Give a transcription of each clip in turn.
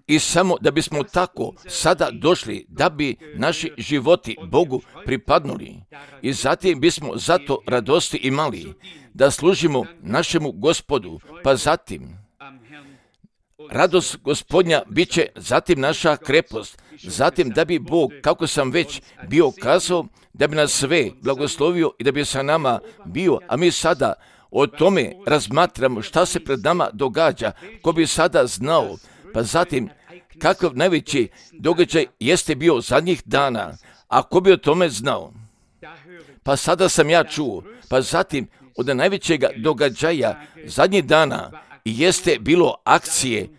I samo da bismo tako sada došli, da bi naši životi Bogu pripadnuli i zatim bismo zato radosti imali, da služimo našemu Gospodu, pa zatim radost Gospodnja bit će zatim naša krepost, zatim da bi Bog, kako sam već bio kazao, da bi nas sve blagoslovio i da bi sa nama bio, a mi sada o tome razmatramo šta se pred nama događa, ko bi sada znao, pa zatim kakav najveći događaj jeste bio zadnjih dana, a ko bi o tome znao? Pa sada sam ja čuo, pa zatim od najvećega događaja zadnjih dana jeste bilo akcije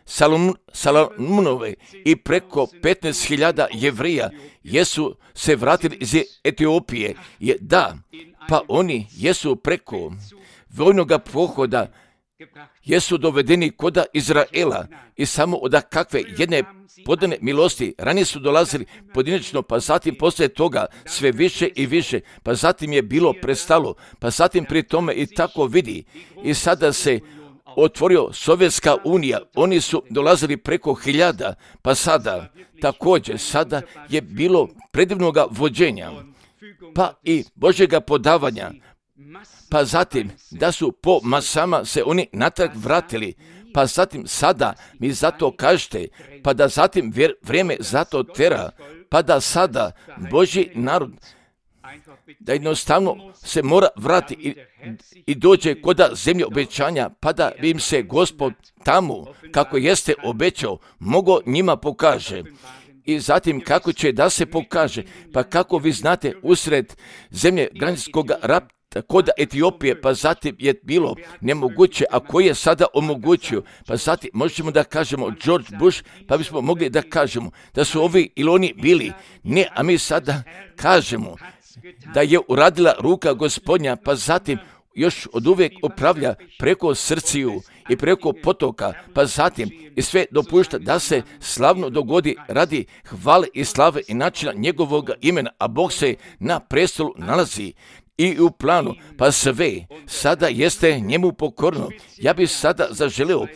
Salomonove i preko 15.000 Jevrija jesu se vratili iz Etiopije. Pa oni jesu preko vojnoga pohoda jesu dovedeni koda Izraela i samo od kakve jedne podane milosti. Ranije su dolazili pojedinačno, pa zatim poslije toga sve više i više, pa zatim je bilo prestalo, pa zatim pri tome i tako vidi. I sada se otvorio Sovjetska unija, oni su dolazili preko 1000, pa sada također sada je bilo predivnoga vođenja, pa i Božjega podavanja, pa zatim da su po masama se oni natrag vratili, pa zatim sada mi zato kažete, pa da zatim vrijeme zato tera, pa da sada Božji narod da jednostavno se mora vratiti i dođe koda zemlje obećanja, pa da im se Gospod tamo, kako jeste obećao, mogo njima pokaže. I zatim kako će da se pokaže, pa kako vi znate usred zemlje granicskog rata, kod Etiopije, pa zatim je bilo nemoguće, a koji je sada omogućio, pa zatim možemo da kažemo George Bush, pa bismo mogli da kažemo da su ovi ili oni bili, ne, a mi sada kažemo da je uradila ruka Gospodnja, pa zatim još od uvijek upravlja preko srciju i preko potoka, pa zatim i sve dopušta da se slavno dogodi radi hvale i slave i načina njegovog imena, a Bog se na prestolu nalazi i u planu, pa sve sada jeste njemu pokorno. Ja bih sada zaželio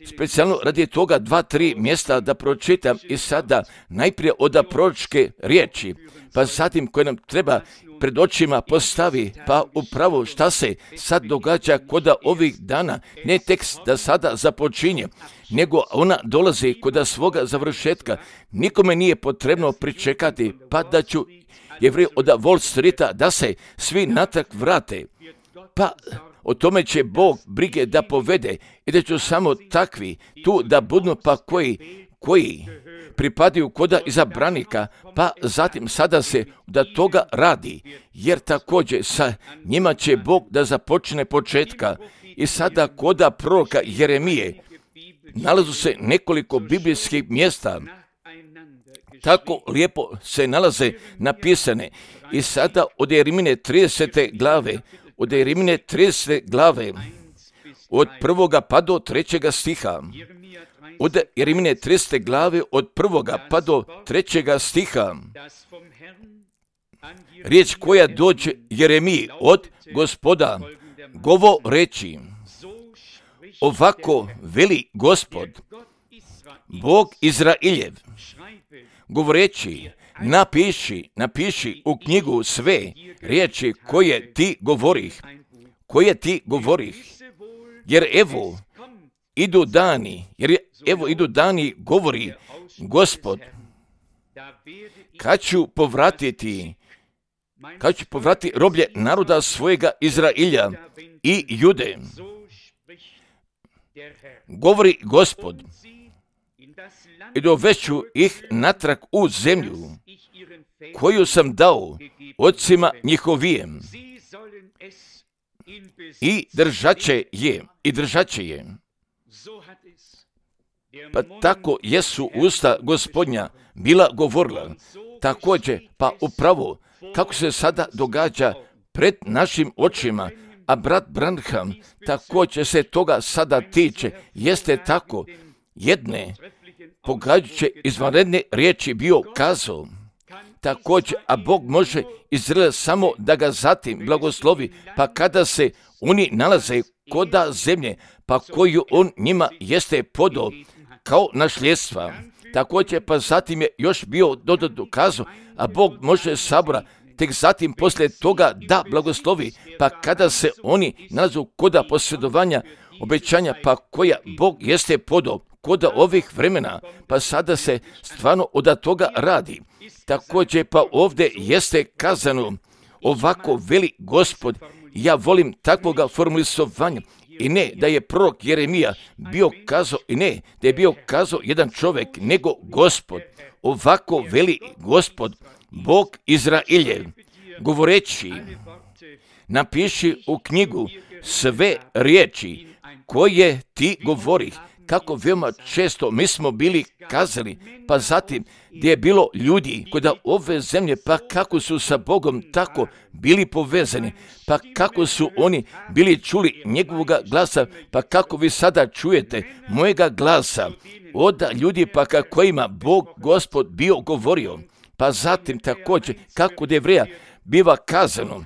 specijalno radi toga 2-3 mjesta da pročitam i sada najprije od proročke riječi, pa zatim koje nam treba pred očima postavi, pa upravo šta se sad događa koda ovih dana, ne tekst da sada započinje, nego ona dolazi koda svoga završetka. Nikome nije potrebno pričekati, pa da ću Jevreji od Wall Streeta da se svi natrag vrate, pa o tome će Bog brige da povede i da ću samo takvi tu da budu, pa koji pripadaju koda izabranika, pa zatim sada se da toga radi, jer također sa njima će Bog da započne početka. I sada koda proroka Jeremije nalazu se nekoliko biblijskih mjesta, tako lijepo se nalaze napisane. I sada od Jeremine 30. glave, od 1. pa do 3. stiha, od Jeremine 30. glave od 1. pa do 3. stiha, riječ koja dođe Jeremiji od Gospoda, govoreći, ovako veli Gospod, Bog Izrailjev, govoreći, napiši u knjigu sve riječi koje ti govorih, jer evo idu dani, govori Gospod, kad ću povratiti roblje naroda svojega Izrailja i Jude, govori Gospod, i dovešću ih natrag u zemlju koju sam dao ocima njihovijem i držat će je. Pa tako jesu usta Gospodnja bila govorila, također pa upravo kako se sada događa pred našim očima, a brat Branham također se toga sada tiče, jeste tako jedne pogađajuće izvanredne riječi bio kazao, također, a Bog može Izrael samo da ga zatim blagoslovi, pa kada se oni nalaze koda zemlje, pa koju on njima jeste podao kao nasljedstva. Također, pa zatim je još bio dodatno kazao, a Bog može sabora tek zatim poslije toga da blagoslovi, pa kada se oni nalazu koda posjedovanja obećanja, pa koja Bog jeste podao koda ovih vremena, pa sada se stvarno od toga radi. Također, pa ovdje jeste kazano, ovako veli Gospod, ja volim takvoga formulisovanja, i ne da je prorok Jeremija bio kazao, i ne da je bio kazao jedan čovjek, nego Gospod, ovako veli Gospod, Bog Izraeljev, govoreći, napiši u knjigu sve riječi koje ti govorih. Kako veoma često mi smo bili kazali, pa zatim gdje je bilo ljudi koji da ove zemlje, pa kako su sa Bogom tako bili povezani, pa kako su oni bili čuli njegovoga glasa, pa kako vi sada čujete mojega glasa od ljudi pa kojima Bog Gospod bio govorio. Pa zatim također kako od Jevreja biva kazano,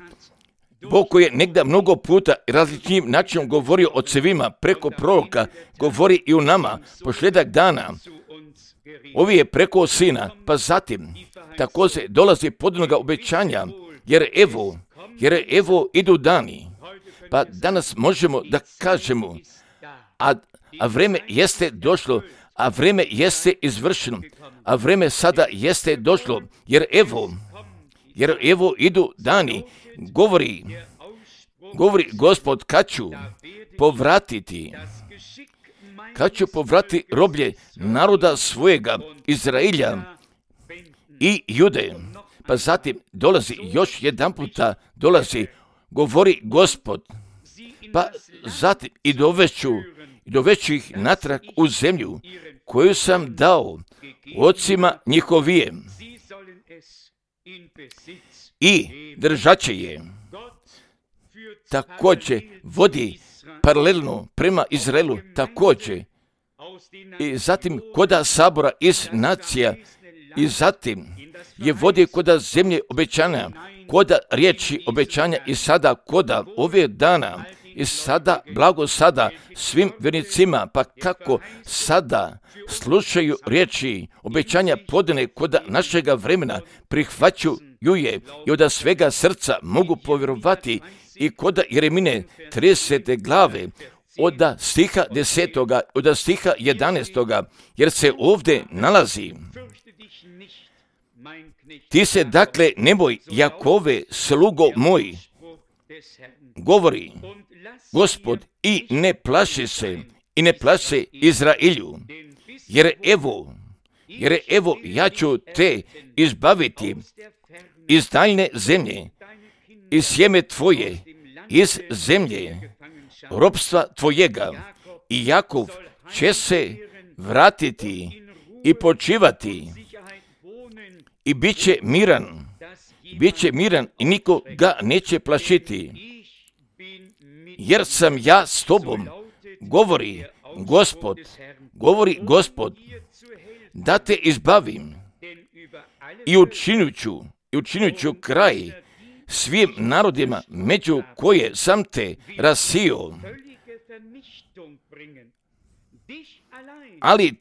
Bog koji je negdje mnogo puta različitim načinom govorio o cevima preko proroka, govori i u nama posljedak dana. Ovi je preko sina, pa zatim također dolazi podnoga obećanja, jer evo idu dani. Pa danas možemo da kažemo, a vreme jeste došlo, a vreme jeste izvršeno, a vreme sada jeste došlo, jer evo idu dani, govori Gospod, kad ću povratiti roblje naroda svojega, Izraelja i Jude. Pa zatim dolazi još jedan puta, govori Gospod, pa zatim i dovešću ih natrag u zemlju koju sam dao ocima njihovijem i držat će je. Također vodi paralelno prema Izraelu, također i zatim koda sabora iz nacija, i zatim je vodi koda zemlje obećanja, koda riječi obećanja, i sada koda ove dana, i sada blago sada svim vjernicima, pa kako sada slušaju riječi obećanja podane koda našega vremena, prihvaćaju je i od svega srca mogu povjerovati, i koda Jeremine 30. glave od stiha 10. od stiha 11. jer se ovdje nalazi: ti se dakle ne boj, Jakove, slugo moj, govori Gospod, i ne plaši se Izraelju, jer evo ja ću te izbaviti iz daljne zemlje, iz sjeme tvoje, iz zemlje ropstva tvojega, i Jakov će se vratiti i počivati i bit će miran i niko ga neće plašiti, jer sam ja s tobom, govori Gospod, da te izbavim i učinit ću kraj svim narodima među koje sam te rasio, ali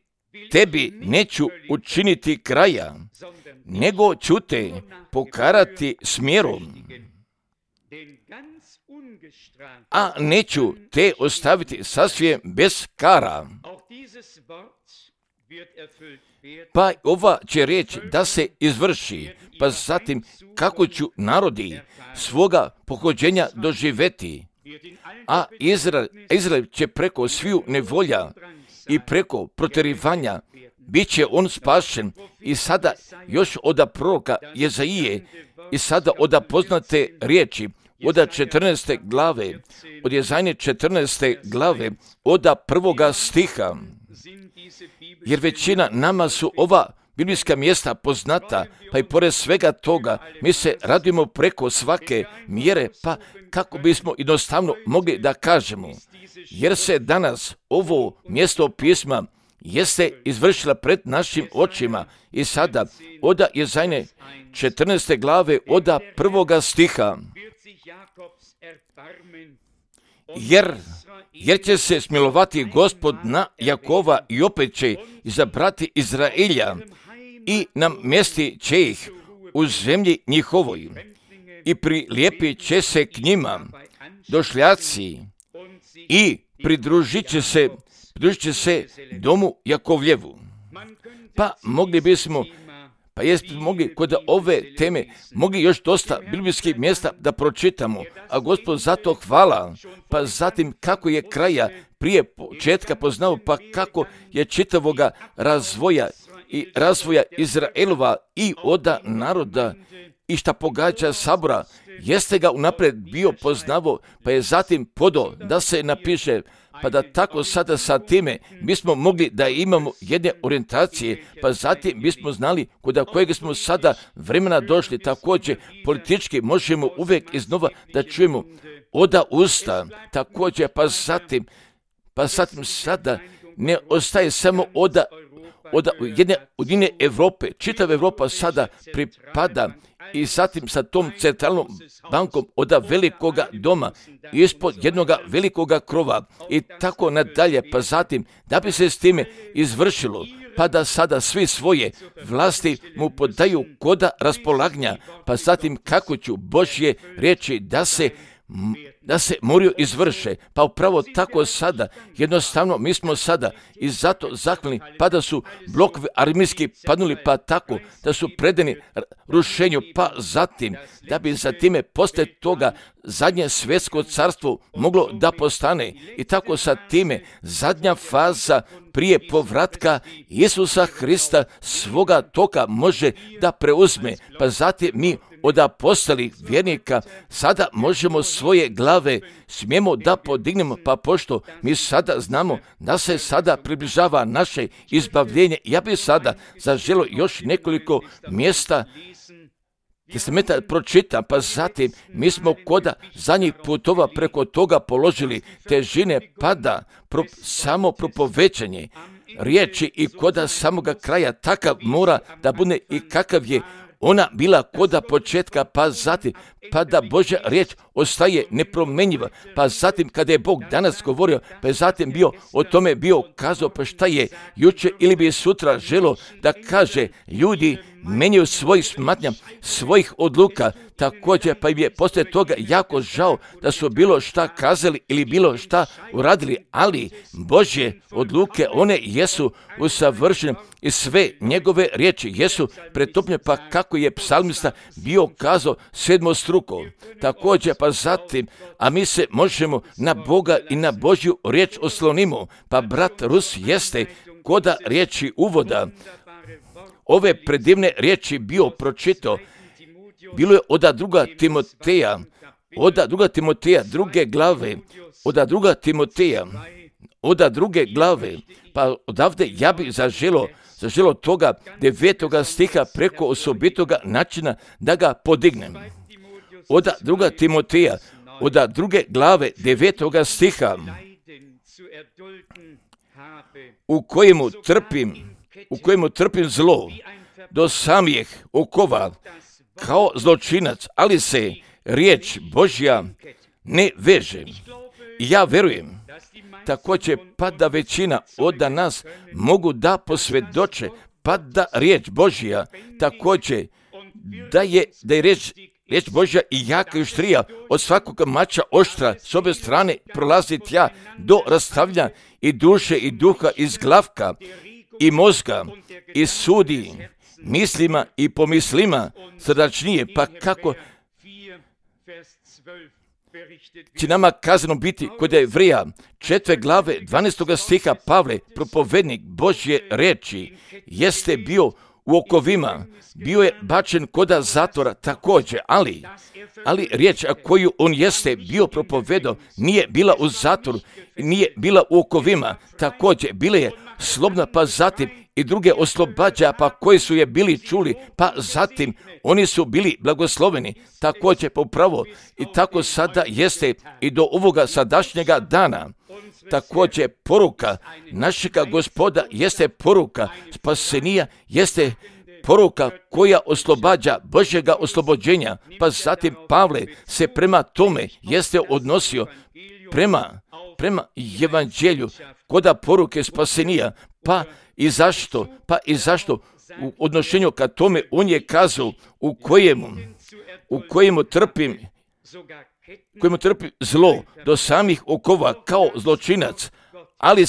tebi neću učiniti kraja, nego ću te pokarati smjerom, a neću te ostaviti sasvim bez kara. Pa ova će riječ da se izvrši, pa zatim kako ću narodi svoga pohođenja doživeti, a Izrael će preko sviju nevolja i preko protjerivanja bit će on spašen. I sada još od proroka Jezaije, i sada od poznate riječi od 14. glave, od Jezajne 14. glave, od 1. stiha, jer većina nama su ova biblijska mjesta poznata, pa i pored svega toga mi se radimo preko svake mjere, pa kako bismo jednostavno mogli da kažemo, jer se danas ovo mjesto pisma jeste izvršila pred našim očima. I sada od Jezajne 14. glave od 1. stiha, jer će se smilovati Gospod na Jakova i opet će izabrati Izraelja i namjesti će ih u zemlji njihovoj i prilijepit će se k njima došljaci i pridružit će se domu Jakovljevu. Pa mogli bismo mogli kod ove teme, mogli još dosta biblijskih mjesta da pročitamo, a Gospod zato hvala, pa zatim kako je kraja prije početka poznao, pa kako je čitavoga razvoja Izraelova i oda naroda i šta pogađa sabora, jeste ga unaprijed bio poznavo, pa je zatim podao da se napiše, pa da tako sada sa time bismo mogli da imamo jedne orijentacije, pa zatim bismo znali kod kojeg smo sada vremena došli. Također politički možemo uvijek iznova da čujemo oda usta, također pa zatim sada ne ostaje samo oda jedne Europe, čitava Europa sada pripada i zatim sa tom centralnom bankom oda velikoga doma ispod jednoga velikoga krova i tako nadalje, pa zatim da bi se s time izvršilo, pa da sada svi svoje vlasti mu podaju koda raspolaganja, pa zatim kako ću Božje riječi da se moraju izvrše, pa upravo tako sada, jednostavno mi smo sada i zato zahvalni, pa da su blokovi armijski padnuli, pa tako da su predani rušenju, pa zatim da bi za time poslije toga zadnje svjetsko carstvo moglo da postane i tako sa time zadnja faza prije povratka Isusa Hrista svoga toka može da preuzme, pa zatim mi od apostolih vjernika sada možemo svoje glave smijemo da podignemo, pa pošto mi sada znamo da se sada približava naše izbavljenje, ja bih sada zaželio još nekoliko mjesta Testamenta pročitam, pa zatim mi smo koda zadnjih putova preko toga položili težine pada, samo propovećanje riječi i koda samoga kraja takav mora da bude i kakav je ona bila koda početka, pa zatim, pa da Božja riječ ostaje nepromjenjiva, pa zatim kada je Bog danas govorio, pa je zatim o tome bio kazao, pa šta je jučer ili bi sutra želo da kaže, ljudi menjaju svojih smatnja, svojih odluka, također pa im je poslije toga jako žao da su bilo šta kazali ili bilo šta uradili, ali Božje odluke, one jesu usavršene i sve njegove riječi jesu pretopljene, pa kako je psalmista bio kazao sedmostruko. Također pa zatim, a mi se možemo na Boga i na Božju riječ oslonimo, pa brat Rus jeste koda riječi uvoda ove predivne riječi bio pročitao, bilo je od druga Timoteja, druge glave, od druge glave, pa odavde ja bih zaželo toga 9. stiha preko osobitoga načina da ga podignem. Od druga Timoteja, od druge glave 9. stiha, u kojemu trpim zlo do samih okova kao zločinac, ali se riječ Božja ne veže. Ja verujem, također pa da većina od nas mogu da posvjedoče, pa da riječ Božja također da je riječ Božja i jaka i oštrija od svakog mača oštra s obje strane prolazi tja do rastavljanja i duše i duha iz glavka i mozga i sudi mislima i pomislima srdačnije, pa kako će nama kazano biti kod Jevreja 4. glave 12. stiha Pavle, propovednik Božje riječi, jeste bio u okovima, bio je bačen koda zatvora također, ali riječ koju on jeste bio propovedao nije bila u zatvoru, nije bila u okovima, također bila je slobodna, pa zatim i druge oslobađa, pa koji su je bili čuli, pa zatim oni su bili blagosloveni, također pa upravo i tako sada jeste i do ovoga sadašnjega dana. Također poruka našega Gospoda jeste poruka spasenija, jeste poruka koja oslobađa Božjega oslobođenja, pa zatim Pavle se prema tome jeste odnosio, prema evanđelju, koda poruke spasenija, pa i zašto u odnošenju ka tome on je kazao u kojemu trpim zlo do samih okova kao zločinac, ali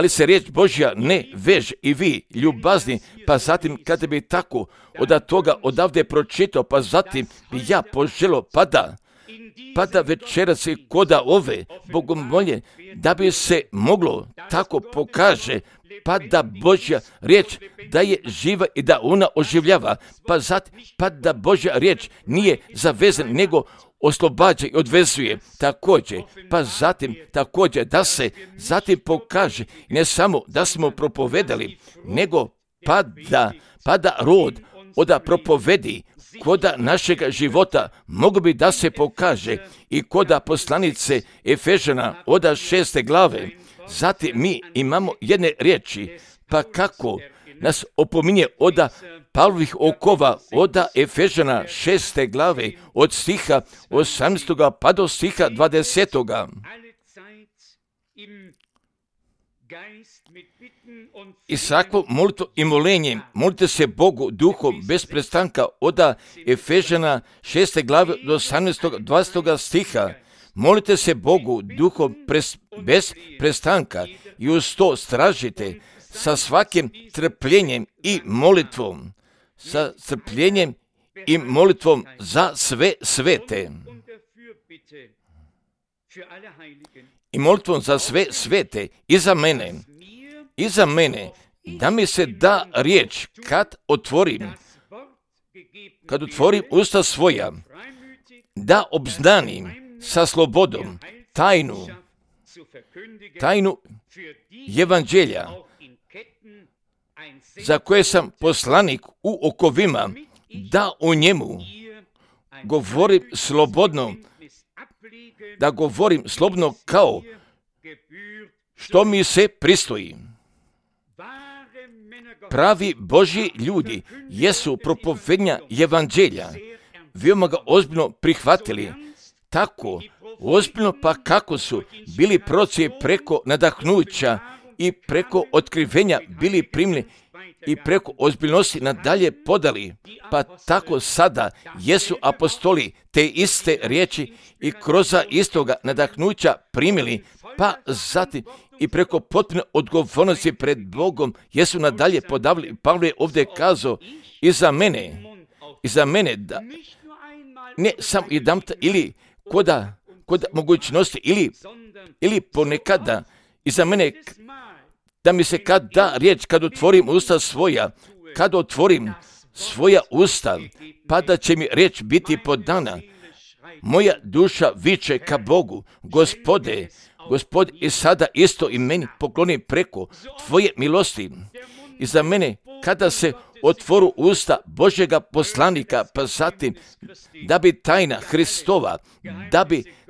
se riječ Božja ne veže i vi ljubazni, pa zatim kada bi tako odavde pročitao, pa zatim bi ja poželio pada večeras i koda ove bogomolje, da bi se moglo tako pokaže, pa da Božja riječ da je živa i da ona oživljava, pa da Božja riječ nije zavezan, nego oslobađa i odvezuje također, pa zatim također da se zatim pokaže, ne samo da smo propovedali, nego pa da rod oda propovedi koda našega života mogu bi da se pokaže i koda poslanice Efežana oda 6. glave. Zatim mi imamo jedne riječi, pa kako nas opominje oda Pavlovih okova, oda Efežana 6. glave, od stiha 18. pa do stiha 20. I svako molitvo i molenje, molite se Bogu duhom bez prestanka, oda Efežana 6. glave do 18. 20. stiha. Molite se Bogu duhom bez prestanka i uz to stražite sa svakim trpljenjem i molitvom, za sve svete. I molitvom za sve svete i za mene, da mi se da riječ kad otvorim usta svoja, da obznanim sa slobodom tajnu evanđelja, za koje sam poslanik u okovima, da o njemu govorim slobodno, kao što mi se pristoji. Pravi Božji ljudi jesu propovednja evanđelja, veoma ga ozbiljno prihvatili, tako ozbiljno pa kako su bili proroci preko nadahnuća i preko otkrivenja bili primljeni i preko ozbiljnosti nadalje podali, pa tako sada jesu apostoli te iste riječi i kroz istoga nadahnuća primili, pa zatim i preko potpune odgovornosti pred Bogom jesu nadalje podavili. Pavle je ovdje kazao i za mene da ne samo jedanput ili koda mogućnosti ili ponekada i za mene da mi se kad da riječ, kad otvorim usta svoja, pa da će mi riječ biti podana. Moja duša viče ka Bogu, Gospode, i sada isto i meni pokloni preko tvoje milosti. I za mene, kada se otvoru usta Božjega poslanika, pa zatim da bi tajna Hristova,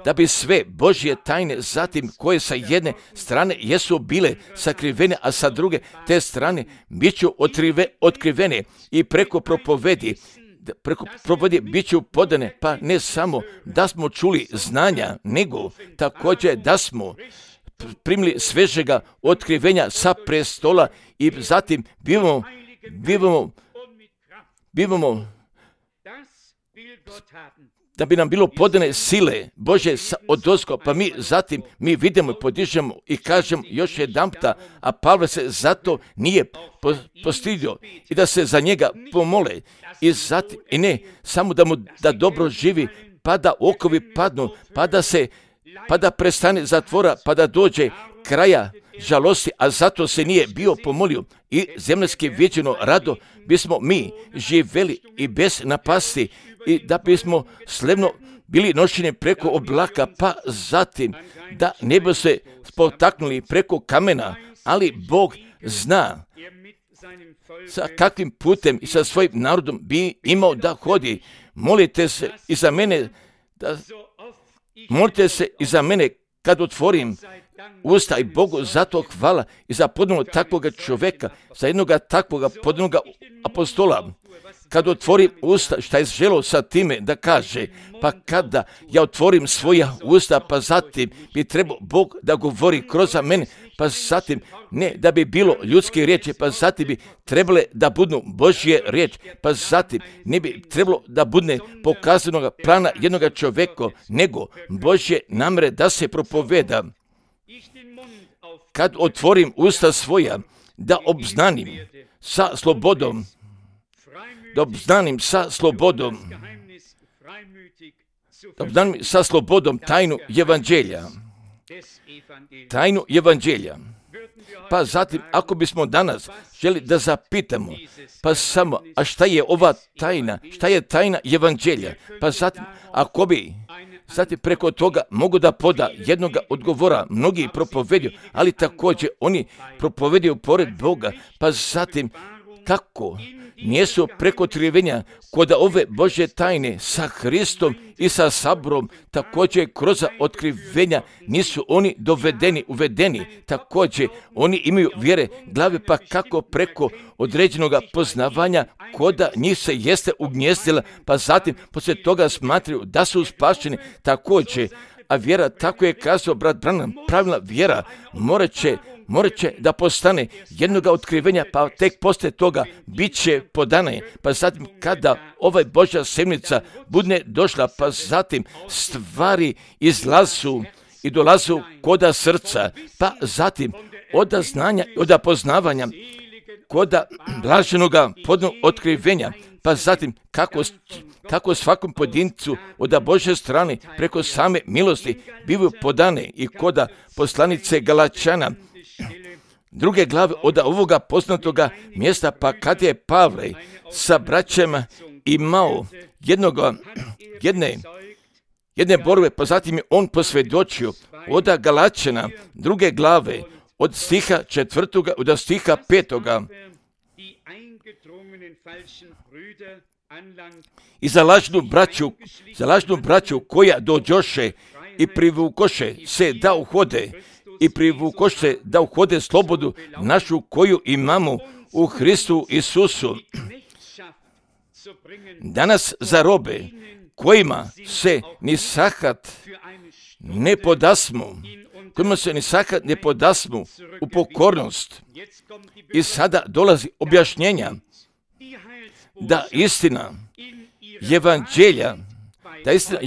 da bi sve Božje tajne, zatim koje sa jedne strane jesu bile sakrivene, a sa druge te strane biću otkrivene i preko propovedi bit ću podane, pa ne samo da smo čuli znanja, nego također da smo primili svežega otkrivenja sa prestola i zatim bivamo da bi nam bilo podane sile Bože odozgo, pa mi vidimo i podižemo i kažemo još jedanputa, a Pavle se zato nije postidio i da se za njega pomole i ne samo da dobro živi, pa da okovi padnu, pa da prestane zatvora, pa da dođe kraja žalosti, a zato se nije bio pomolio i zemljski vječino rado bismo mi živjeli i bez napasti i da bismo slevno bili nošeni preko oblaka, pa zatim da ne bi se spotaknuli preko kamena, ali Bog zna sa kakvim putem i sa svojim narodom bi imao da hodi. Molite se i za mene kad otvorim usta i Bogu zato hvala i za ponovno takvoga čovjeka, za jednoga takvoga ponovnoga apostola. Kad otvorim usta, šta je želio sa time da kaže? Pa kada ja otvorim svoja usta, pa zatim bi trebao Bog da govori kroz mene, pa zatim ne da bi bilo ljudske riječi, pa zatim bi trebale da budu Božje riječi, pa zatim ne bi trebalo da bude pokazanog plana jednog čovjeka, nego Božje namere da se propoveda. Kad otvorim usta svoja, da obznanim sa slobodom, da obznanim sa slobodom tajnu evanđelja. Tajnu evanđelja. Pa zatim, ako bismo danas želi da zapitamo, pa samo, a šta je ova tajna? Šta je tajna evanđelja? Pa zatim, ako bi zatim preko toga mogu da poda jednoga odgovora, mnogi propovedaju, ali također oni propovedaju pored Boga, pa zatim kako nijesu preko otkrivenja kod ove Božje tajne sa Hristom i sa saborom, također kroz otkrivenja nisu oni uvedeni, također oni imaju vjere glave, pa kako preko određenog poznavanja koda njih se jeste ugnjezdila, pa zatim poslije toga smatraju da su spašeni također, a vjera, tako je kazao brat Branham, pravilna vjera morat će da postane jednoga otkrivenja, pa tek poslije toga bit će podane. Pa zatim kada ovaj Božja semnica bude došla, pa zatim stvari izlazu i dolazu koda srca, pa zatim od znanja i od poznavanja koda blaženoga podnog otkrivenja, pa zatim kako svakom pojedincu od Božje strane preko same milosti bivaju podane i koda poslanice Galačana, druge glave od ovoga poznatoga mjesta, pa kad je Pavle sa braćama imao jedne borbe, pa zatim je on posvjedočio od Galačana druge glave od stiha 4. od stiha 5. I za lažnu braću koja dođoše i privukoše se da uhode i privukoše da uhode slobodu našu koju imamo u Hristu Isusu. Danas za robe kojima se ni sahat ne podasmu u pokornost. I sada dolazi objašnjenja da istina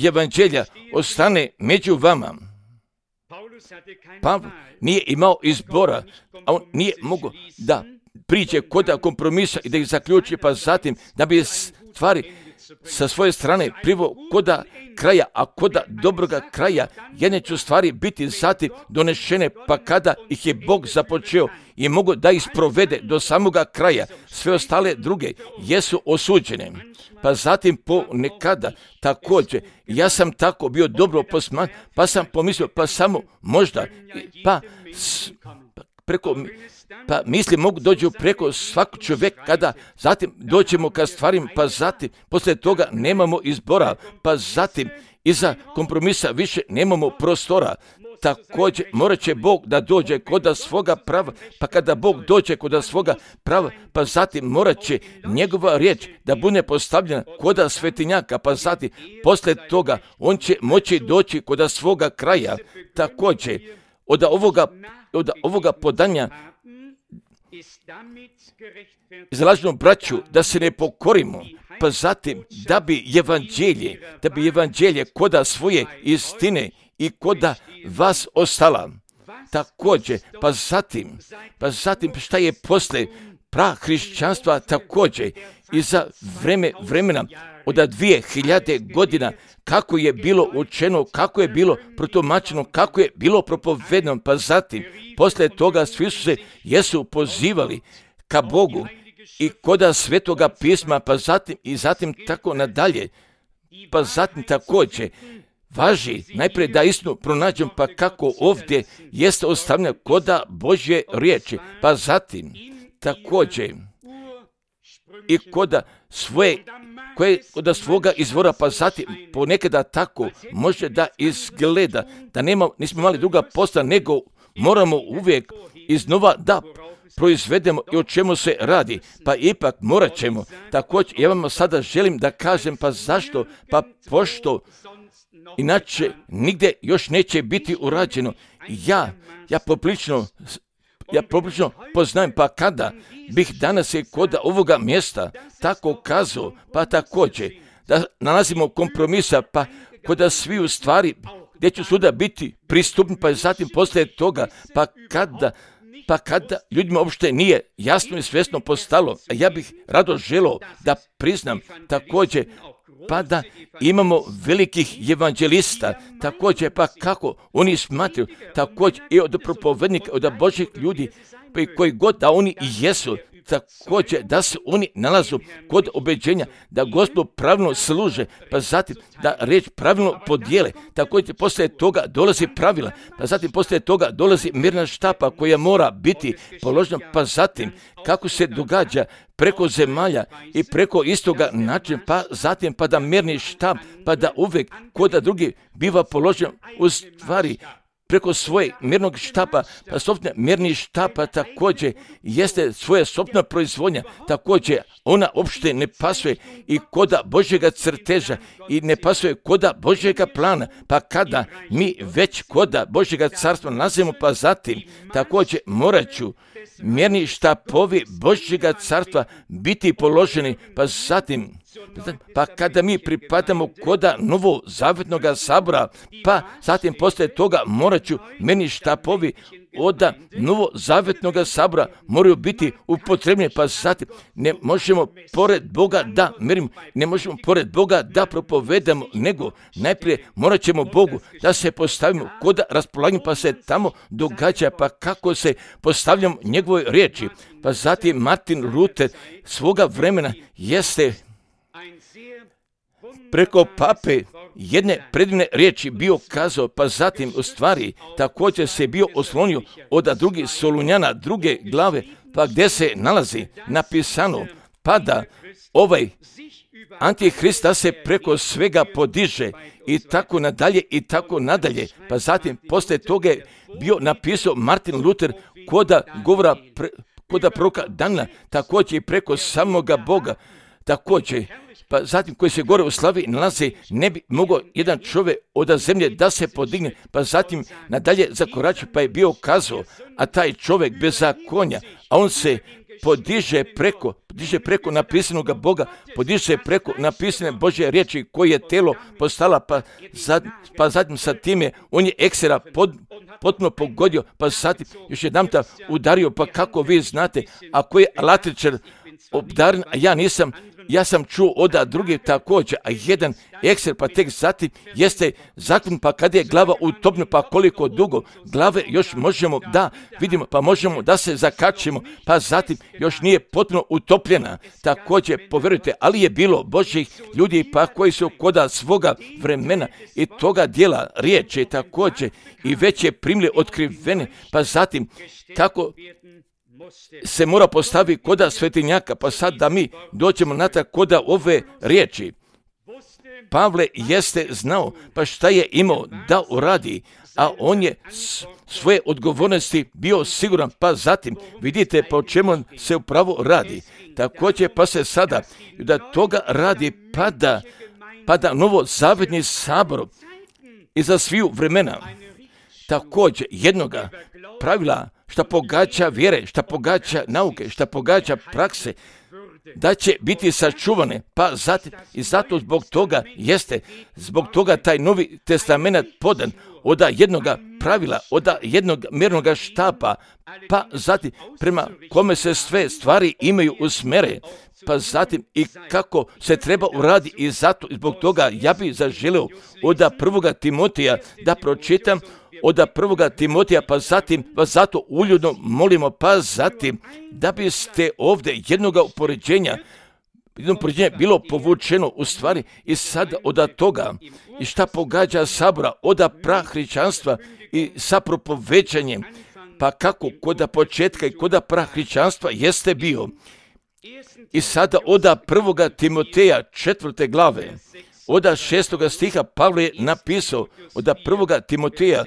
evanđelja ostane među vama. Pavle nije imao izbora, a on nije mogao da priđe koda kompromisa i da ih zaključi, pa zatim da bi stvari sa svoje strane priveo koda kraja, a koda dobroga kraja jedne će stvari biti zatim donešene, pa kada ih je Bog započeo i mogu da ih sprovede do samoga kraja, sve ostale druge jesu osuđene. Pa zatim ponekada također, ja sam tako bio dobro posman, pa sam pomislio, pa samo možda, pa misli mogu dođu preko svakog čovjeka, kada zatim dođemo ka stvarima, pa zatim poslije toga nemamo izbora, pa zatim iza kompromisa više nemamo prostora. Također morat će Bog da dođe koda svoga prava, pa kada Bog dođe koda svoga prava, pa zatim morat će njegova riječ da bude postavljena koda svetinjaka, pa zatim poslije toga on će moći doći koda svoga kraja. Također od ovoga podanja izlažno braću da se ne pokorimo, pa zatim da bi evanđelje koda svoje istine i koda vas ostala. Također, pa zatim šta je posle prahrišćanstva također i za vremena od 2000 godina, kako je bilo učeno, kako je bilo protumačeno, kako je bilo propovedeno, pa zatim poslije toga svi su se jesu pozivali ka Bogu i koda svetoga pisma, pa zatim tako nadalje, pa zatim također važi najprije da istinu pronađem, pa kako ovdje jeste ostavljeno koda Božje riječi, pa zatim također i koda svoga izvora, pa zatim ponekada tako može da izgleda da nismo imali druga posla nego moramo uvijek iznova da proizvedemo i o čemu se radi, pa ipak morat ćemo. Također, ja vam sada želim da kažem, pa zašto? Pa pošto inače nigdje još neće biti urađeno. Ja poprilično poznajem, pa kada bih danas i kod ovoga mjesta tako kazao, pa također da nalazimo kompromisa, pa kod svi u stvari gdje će suda biti pristupni, pa zatim poslije toga, pa kada ljudima uopšte nije jasno i svjesno postalo, a ja bih rado želio da priznam također, pa da imamo velikih evanđelista, također, pa kako oni smatraju, također i od propovednika, od Božih ljudi, pa i koji god da oni i jesu, također da se oni nalazu kod obeđenja, da Gospodu pravilno služe, pa zatim da riječ pravilno podijele, također poslije toga dolazi pravila, pa zatim poslije toga dolazi mirna štapa koja mora biti položena, pa zatim kako se događa preko zemalja i preko istoga načina, pa zatim pa da mirni štap, pa da uvijek kod drugi biva položen u stvari preko svoje mirnog štapa, pa sobstvena mirni štapa također jeste svoja sobstvena proizvodnja, također ona uopšte ne pasuje i koda Božjega crteža i ne pasuje koda Božjega plana, pa kada mi već koda Božjega carstva nalazimo, pa zatim također morat ću mirni štapovi Božjega carstva biti položeni, pa zatim pa kada mi pripadamo koda novo zavjetnog sabora, pa zatim poslije toga morat ću meni štapovi od novo zavjetnog sabora moraju biti upotrebljeni, pa zatim ne možemo pored Boga da mirimo, ne možemo pored Boga da propovedamo, nego najprije morat ćemo Bogu da se postavimo koda raspolaganja, pa se tamo događa, pa kako se postavljamo njegovoj riječi. Pa zatim Martin Luther svoga vremena jeste preko pape jedne predivne riječi bio kazao, pa zatim u stvari također se bio oslonio od drugih Solunjana druge glave, pa gdje se nalazi napisano, pa da ovaj Antihrist da se preko svega podiže i tako nadalje, pa zatim poslije toga bio napisao Martin Luther koda govora koda proroka Dana, također i preko samoga Boga, također, pa zatim koji se gore u slavi nalazi, ne bi mogao jedan čovjek od zemlje da se podigne, pa zatim nadalje zakorači, pa je bio kazao, a taj čovjek bez zakonja, a on se podiže preko napisanog Boga, podiže se preko napisane Božje riječi koje je telo postala, pa zatim sa time on je eksera potpuno pogodio, pa zatim još jedanputa udario, pa kako vi znate, ako je latričar obdaren, a ja nisam, ja sam čuo od drugih također, a jedan ekser, pa tek zatim jeste zakon, pa kada je glava utopna, pa koliko dugo glave još možemo da vidimo, pa možemo da se zakačimo, pa zatim još nije potpuno utopljena. Također, povjerujte, ali je bilo Božjih ljudi, pa koji su koda svoga vremena i toga dijela riječi također i već je primili otkrivene, pa zatim kako se mora postaviti koda svetinjaka, pa sad da mi dođemo natrag koda ove riječi. Pavle jeste znao, pa šta je imao da uradi, a on je svoje odgovornosti bio siguran, pa zatim vidite po čemu se upravo radi. Također pa se sada da toga radi pada novo zavjetni sabor i za sviju vremena. Također jednoga pravila šta pogađa vjere, šta pogađa nauke, šta pogađa prakse, da će biti sačuvane, pa zatim i zato zbog toga taj Novi Testament podan od jednoga pravila, od jednog mjernoga štapa, pa zatim prema kome se sve stvari imaju usmere, pa zatim i kako se treba uraditi i zato zbog toga ja bih zaželio od 1. Timotija da pročitam od 1. Timotija, pa zatim vas zato uljudno molimo, pa zatim da biste ovdje jednoga upoređenja bilo povučeno u stvari i sad od toga i šta pogađa sabora od prahrišćanstva i sa propovećanjem, pa kako kod početka i kod prahrišćanstva jeste bio. I sada od 1. Timoteja 4. glave, od 6. stiha Pavle je napisao od 1. Timoteja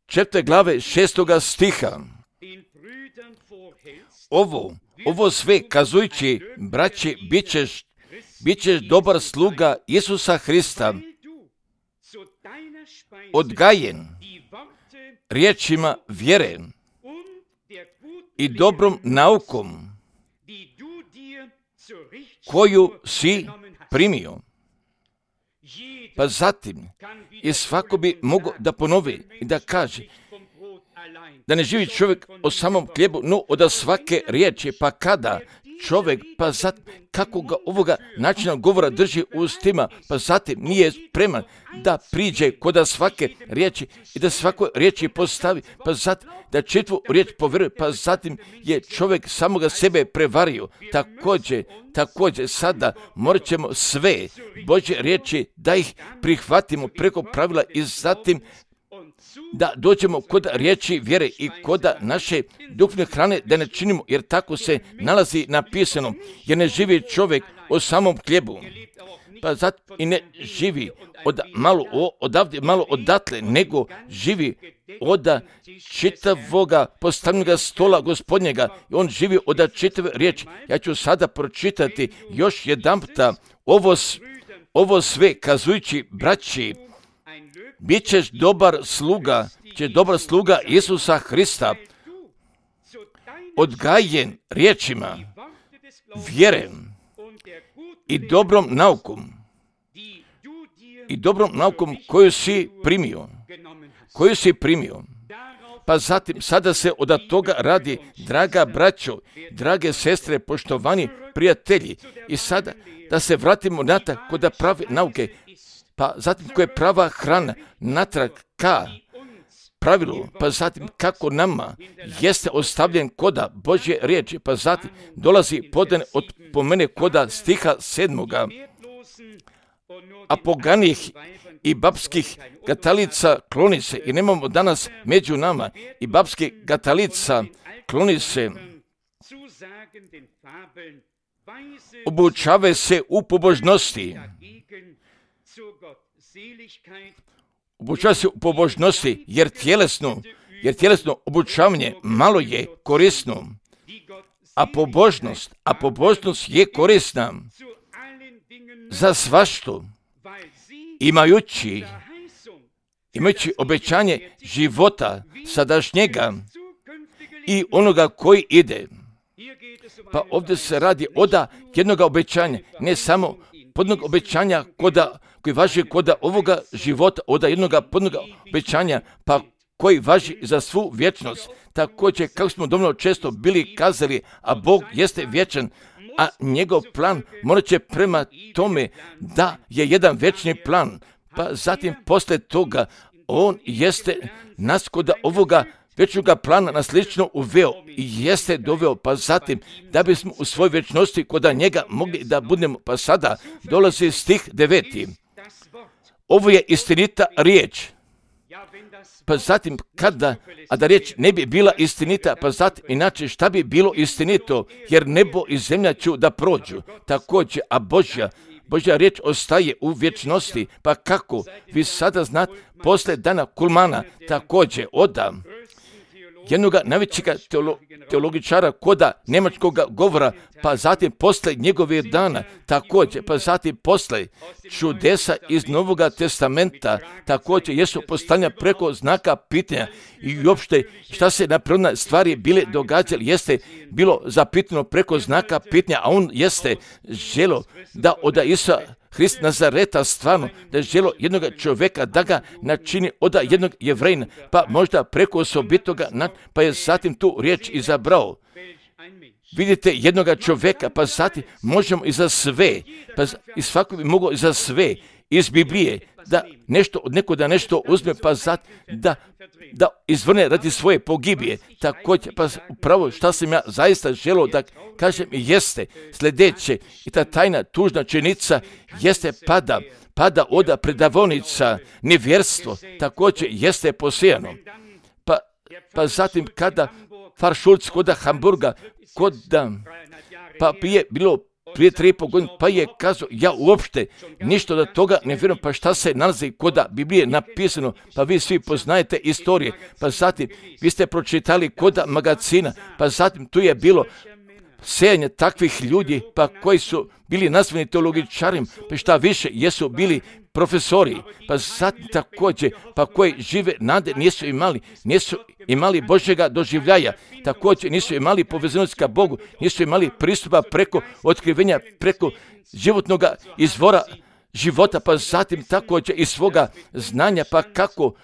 4. glave 6. stiha. Ovo sve kazujući, braći, bit ćeš dobar sluga Isusa Hrista, odgajen riječima vjere i dobrom naukom koju si primio. Pa zatim, i svako bi mogao da ponovi i da kaže da ne živi čovjek o samom hljebu, no od svake riječi. Pa kada čovjek, pa zatim, kako ga ovoga načina govora drži u ustima, pa zatim nije spreman da priđe kod svake riječi i da svakoj riječi postavi, pa zatim da čitvu riječ povjeruje, pa zatim je čovjek samoga sebe prevario. Također sada morat ćemo sve Božje riječi da ih prihvatimo preko pravila i zatim da dođemo kod riječi vjere i kod naše duhovne hrane, da ne činimo, jer tako se nalazi napisano, jer ne živi čovjek o samom hljebu, pa zato i ne živi odavde malo odatle, nego živi od čitavoga postavljenog stola Gospodnjega, i on živi od čitave riječi. Ja ću sada pročitati još jedanputa ovo sve kazujući, braći, bit ćeš dobar sluga Isusa Hrista, odgajen riječima vjere i dobrom naukom koju si primio. Pa zatim, sada se od toga radi, draga braćo, drage sestre, poštovani prijatelji, i sada da se vratimo natrag kod prave nauke, pa zatim koja je prava hrana, natrag ka pravilu, pa zatim kako nama jeste ostavljen koda Božje riječi, pa zatim dolazi po mene koda stiha 7. A poganih i babskih gatalica kloni se, i nemamo danas među nama i babskih gatalica kloni se, obučave se u pobožnosti. Obučava se u pobožnosti, jer tjelesno obučavanje malo je korisno, a pobožnost je korisna za svašta, imajući obećanje života sadašnjega i onoga koji ide. Pa ovdje se radi od jednog obećanja, ne samo podnog obećanja koji važi kod ovoga života, od jednog podnog obećanja, pa koji važi za svu vječnost. Također, kako smo dovoljno često bili kazali, a Bog jeste vječan, a njegov plan morat će prema tome da je jedan vječni plan. Pa zatim, poslije toga, on jeste nas kod ovoga vječnoga plana na slično uveo i jeste doveo, pa zatim da bismo u svojoj vječnosti kod njega mogli da budemo. Pa sada dolazi stih 9. Ovo je istinita riječ. Pa zatim a da riječ ne bi bila istinita, pa zatim inače šta bi bilo istinito, jer nebo i zemlja ću da prođu. Također, a Božja riječ ostaje u vječnosti. Pa kako? Vi sada znate, posle dana kulmana, također odam jednog najvećeg teologičara koda njemačkog govora, pa zatim posle njegove dana, također, pa zatim posle čudesa iz Novog testamenta, također jesu postavljena preko znaka pitanja i uopšte šta se na prirodne stvari bile događali, jeste bilo zapitano preko znaka pitanja, a on jeste želo da od Isusa Hrist Nazareta stvarno, da je želo jednog čovjeka da ga načini od jednog Jevrejna, pa možda preko osobitoga, pa je zatim tu riječ izabrao. Vidite jednog čovjeka, pa zatim možemo i za sve, pa i svako bi mogao i za sve iz Biblije, da nešto od nekoga nešto uzme, pa zatim da izvrne radi svoje pogibije. Također, pa upravo šta sam ja zaista želio da kažem jeste sljedeće, i ta tajna tužna činjenica jeste pada od predavonica, nevjerstvo, također jeste posijano. Pa zatim kada Faršulc kod Hamburga, pa je bilo prije 3,5 godine, pa je kazao, ja uopšte ništa od toga ne vjerujem, pa šta se nalazi kod Biblije napisano, pa vi svi poznajete istorije, pa zatim vi ste pročitali kod magazina, pa zatim tu je bilo sejanje takvih ljudi, pa koji su bili nazvani teologičarima, pa šta više, jesu bili profesori, pa zatim također, pa koji žive nade nisu imali Božjega doživljaja, također nisu imali povezanost ka Bogu, nisu imali pristupa preko otkrivenja, preko životnog izvora života, pa zatim također iz svoga znanja, pa kako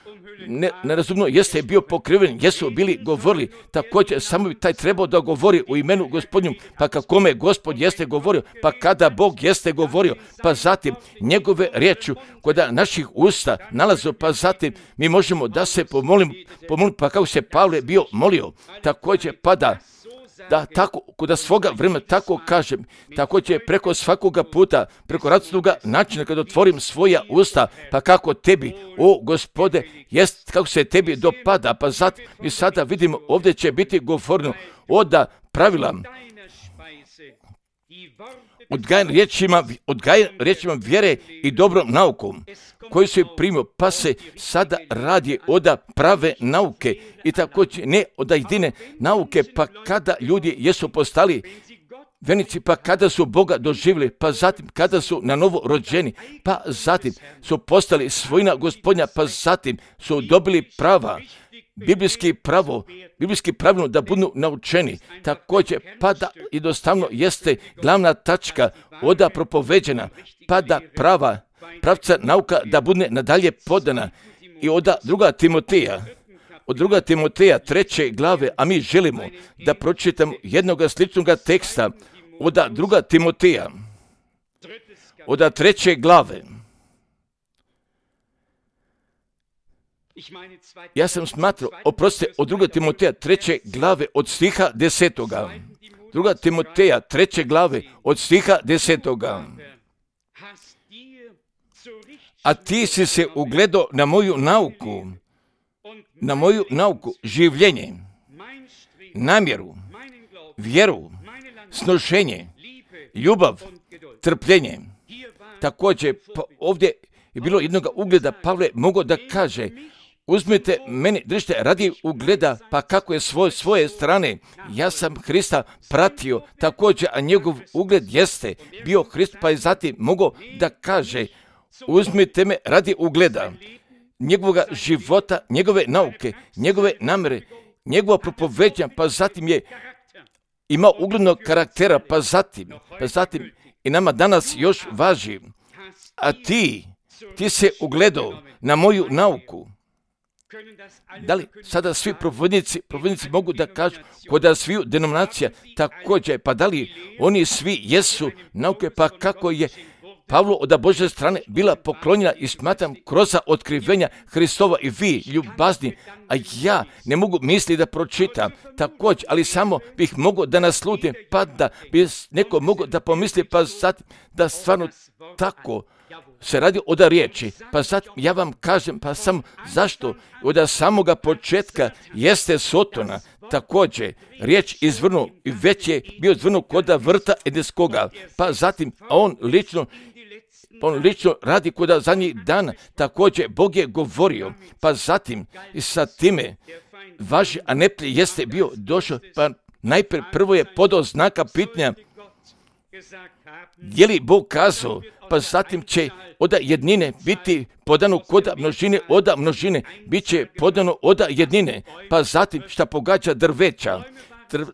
nerazumno jeste bio pokriven, jesu bili govorili, također samo bi taj trebao da govori u imenu Gospodnju, pa kakome Gospod jeste govorio, pa kada Bog jeste govorio, pa zatim njegove riječi kod naših usta nalazu, pa zatim mi možemo da se pomolimo, pa kako se Pavle bio molio, također pa da tako, kod svoga vremena tako kažem, također preko svakoga puta, preko različitoga načina kad otvorim svoja usta, pa kako tebi, o Gospode, jest kako se tebi dopada, pa zatim mi sada vidimo ovdje će biti govoreno od pravila, odgajan riječima vjere i dobrom naukom, koji su primio, pa se sada radi od prave nauke i također ne od jedine nauke, pa kada ljudi jesu postali vjernici, pa kada su Boga doživjeli, pa zatim kada su na novo rođeni, pa zatim su postali svojina Gospodnja, pa zatim su dobili prava, biblijski pravilno da budu naučeni, također pa da jednostavno jeste glavna tačka oda propoveđena, pa da pravca nauka da bude nadalje podana i od 2. Timoteja 3. glave, a mi želimo da pročitamo jednog sličnog teksta od 2. Timoteja, od 3. glave. Ja sam smatrao, oprostite, od 2. Timoteja 3. glave od stiha 10. 2. Timoteja 3. glave od stiha 10. A ti si se ugledao na moju nauku, življenje, namjeru, vjeru, snošenje, ljubav, trpljenje. Također, pa ovdje je bilo jednog ugleda, Pavle mogao da kaže, uzmite meni, držite radi ugleda, pa kako je svoje strane, ja sam Hrista pratio, također, a njegov ugled jeste bio Hrist, pa je zatim mogao da kaže, uzmite me radi ugleda, njegovoga života, njegove nauke, njegove namere, njegova propoveđanja, pa zatim je imao uglednog karaktera, pa zatim i nama danas još važi, a ti se ugledao na moju nauku. Da li sada svi propovjednici mogu da kažu kod sviju denominacija također, pa da li oni svi jesu nauke, pa kako je Pavlu od Božje strane bila poklonjena i smatram kroz otkrivenja Hristova i vi ljubazni, a ja ne mogu misliti da pročitam također, ali samo bih mogao da naslutim, pa da bi neko mogao da pomisli, pa zatim da stvarno tako se radi od riječi, pa zatim ja vam kažem, pa samo zašto od samoga početka jeste Sotona, također riječ izvrnuo i već je bio izvrnuo kod vrta Edenskoga, pa zatim on lično radi kod zadnjih dana, također Bog je govorio, pa zatim i sa time vaši anepli jeste bio došao, pa najprije prvo je podao znaka pitanja, je li Bog kazao, pa zatim će od jednine biti podano kod množine, od množine bit će podano od jednine, pa zatim šta pogađa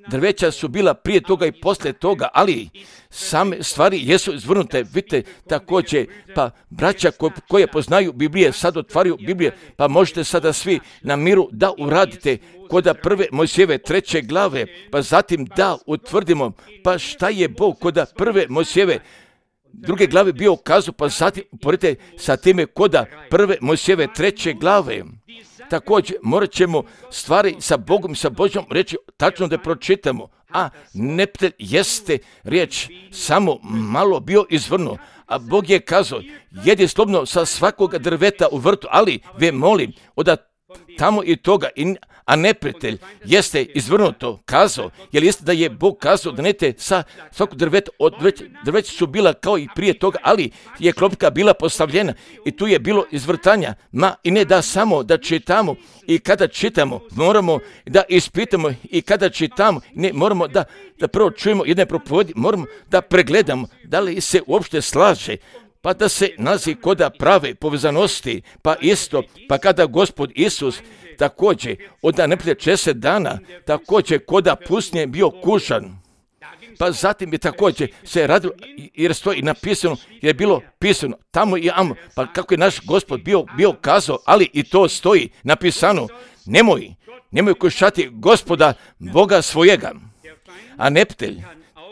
drveća su bila prije toga i poslije toga, ali same stvari jesu izvrnute, vidite, također, pa braća koje poznaju Biblije, sad otvaraju Biblije, pa možete sada svi na miru da uradite kod 1. Mojsijeve 3. glave, pa zatim da utvrdimo, pa šta je Bog kod 1. Mojsijeve 2. glave bio ukazao, pa zatim uporedite sa time kod 1. Mojsijeve 3. glave. Također morat ćemo stvari sa Bogom i sa Božjom reći tačno da pročitamo, a neptelj jeste riječ samo malo bio izvrnuo, a Bog je kazao, jedi slobodno sa svakog drveta u vrtu, ali ve molim od tamo i toga, a neprijatelj jeste izvrnuto kazao, jer jeste da je Bog kazao da nete sa svako drveće su bila kao i prije toga, ali je klopka bila postavljena i tu je bilo izvrtanja, i ne da samo da čitamo i kada čitamo moramo da ispitamo i kada čitamo ne moramo da prvo čujemo jedne propovedi, moramo da pregledamo da li se uopšte slaže, pa da se nalazi koda prave povezanosti, pa isto, pa kada Gospod Isus također od neprijatelja 60 dana, također koda pustinje bio kušan, pa zatim je također se radilo, jer stoji napisano, jer je bilo pisano tamo i amo, pa kako je naš Gospod bio kazao, ali i to stoji napisano, nemoj kušati Gospoda Boga svojega. A neprijatelj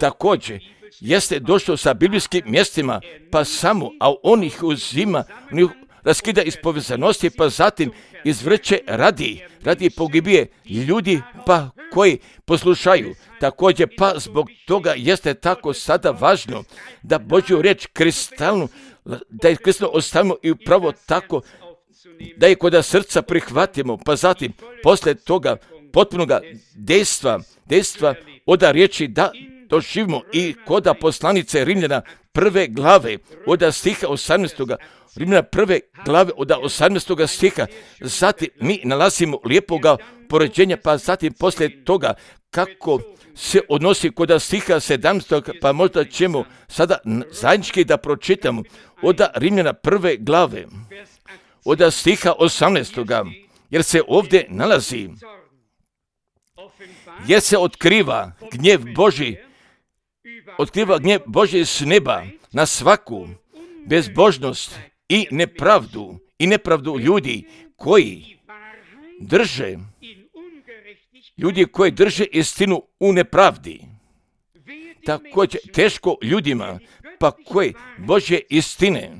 također jeste došao sa biblijskim mjestima, pa samo, a on ih uzima, on ih raskida iz povezanosti, pa zatim izvrće radi pogibije ljudi, pa koji poslušaju. Također, pa zbog toga jeste tako sada važno da Božju riječ kristalnu, da je kristalno ostavimo i upravo tako, da je kod srca prihvatimo, pa zatim, posle toga potpunoga dejstva od riječi da doživimo i koda poslanice Rimljana 1. glave od stiha 18. Rimljana 1. glave od 18. stiha. Zatim mi nalazimo lijepoga poređenja, pa zatim poslije toga kako se odnosi kod stiha 17. pa možda ćemo sada zajednički da pročitamo od Rimljana 1. glave od stiha 18. jer se ovdje nalazi, jer se otkriva gnjev Božji s neba na svaku bezbožnost i nepravdu ljudi koji drže istinu u nepravdi. Također teško ljudima, pa koji Božje istine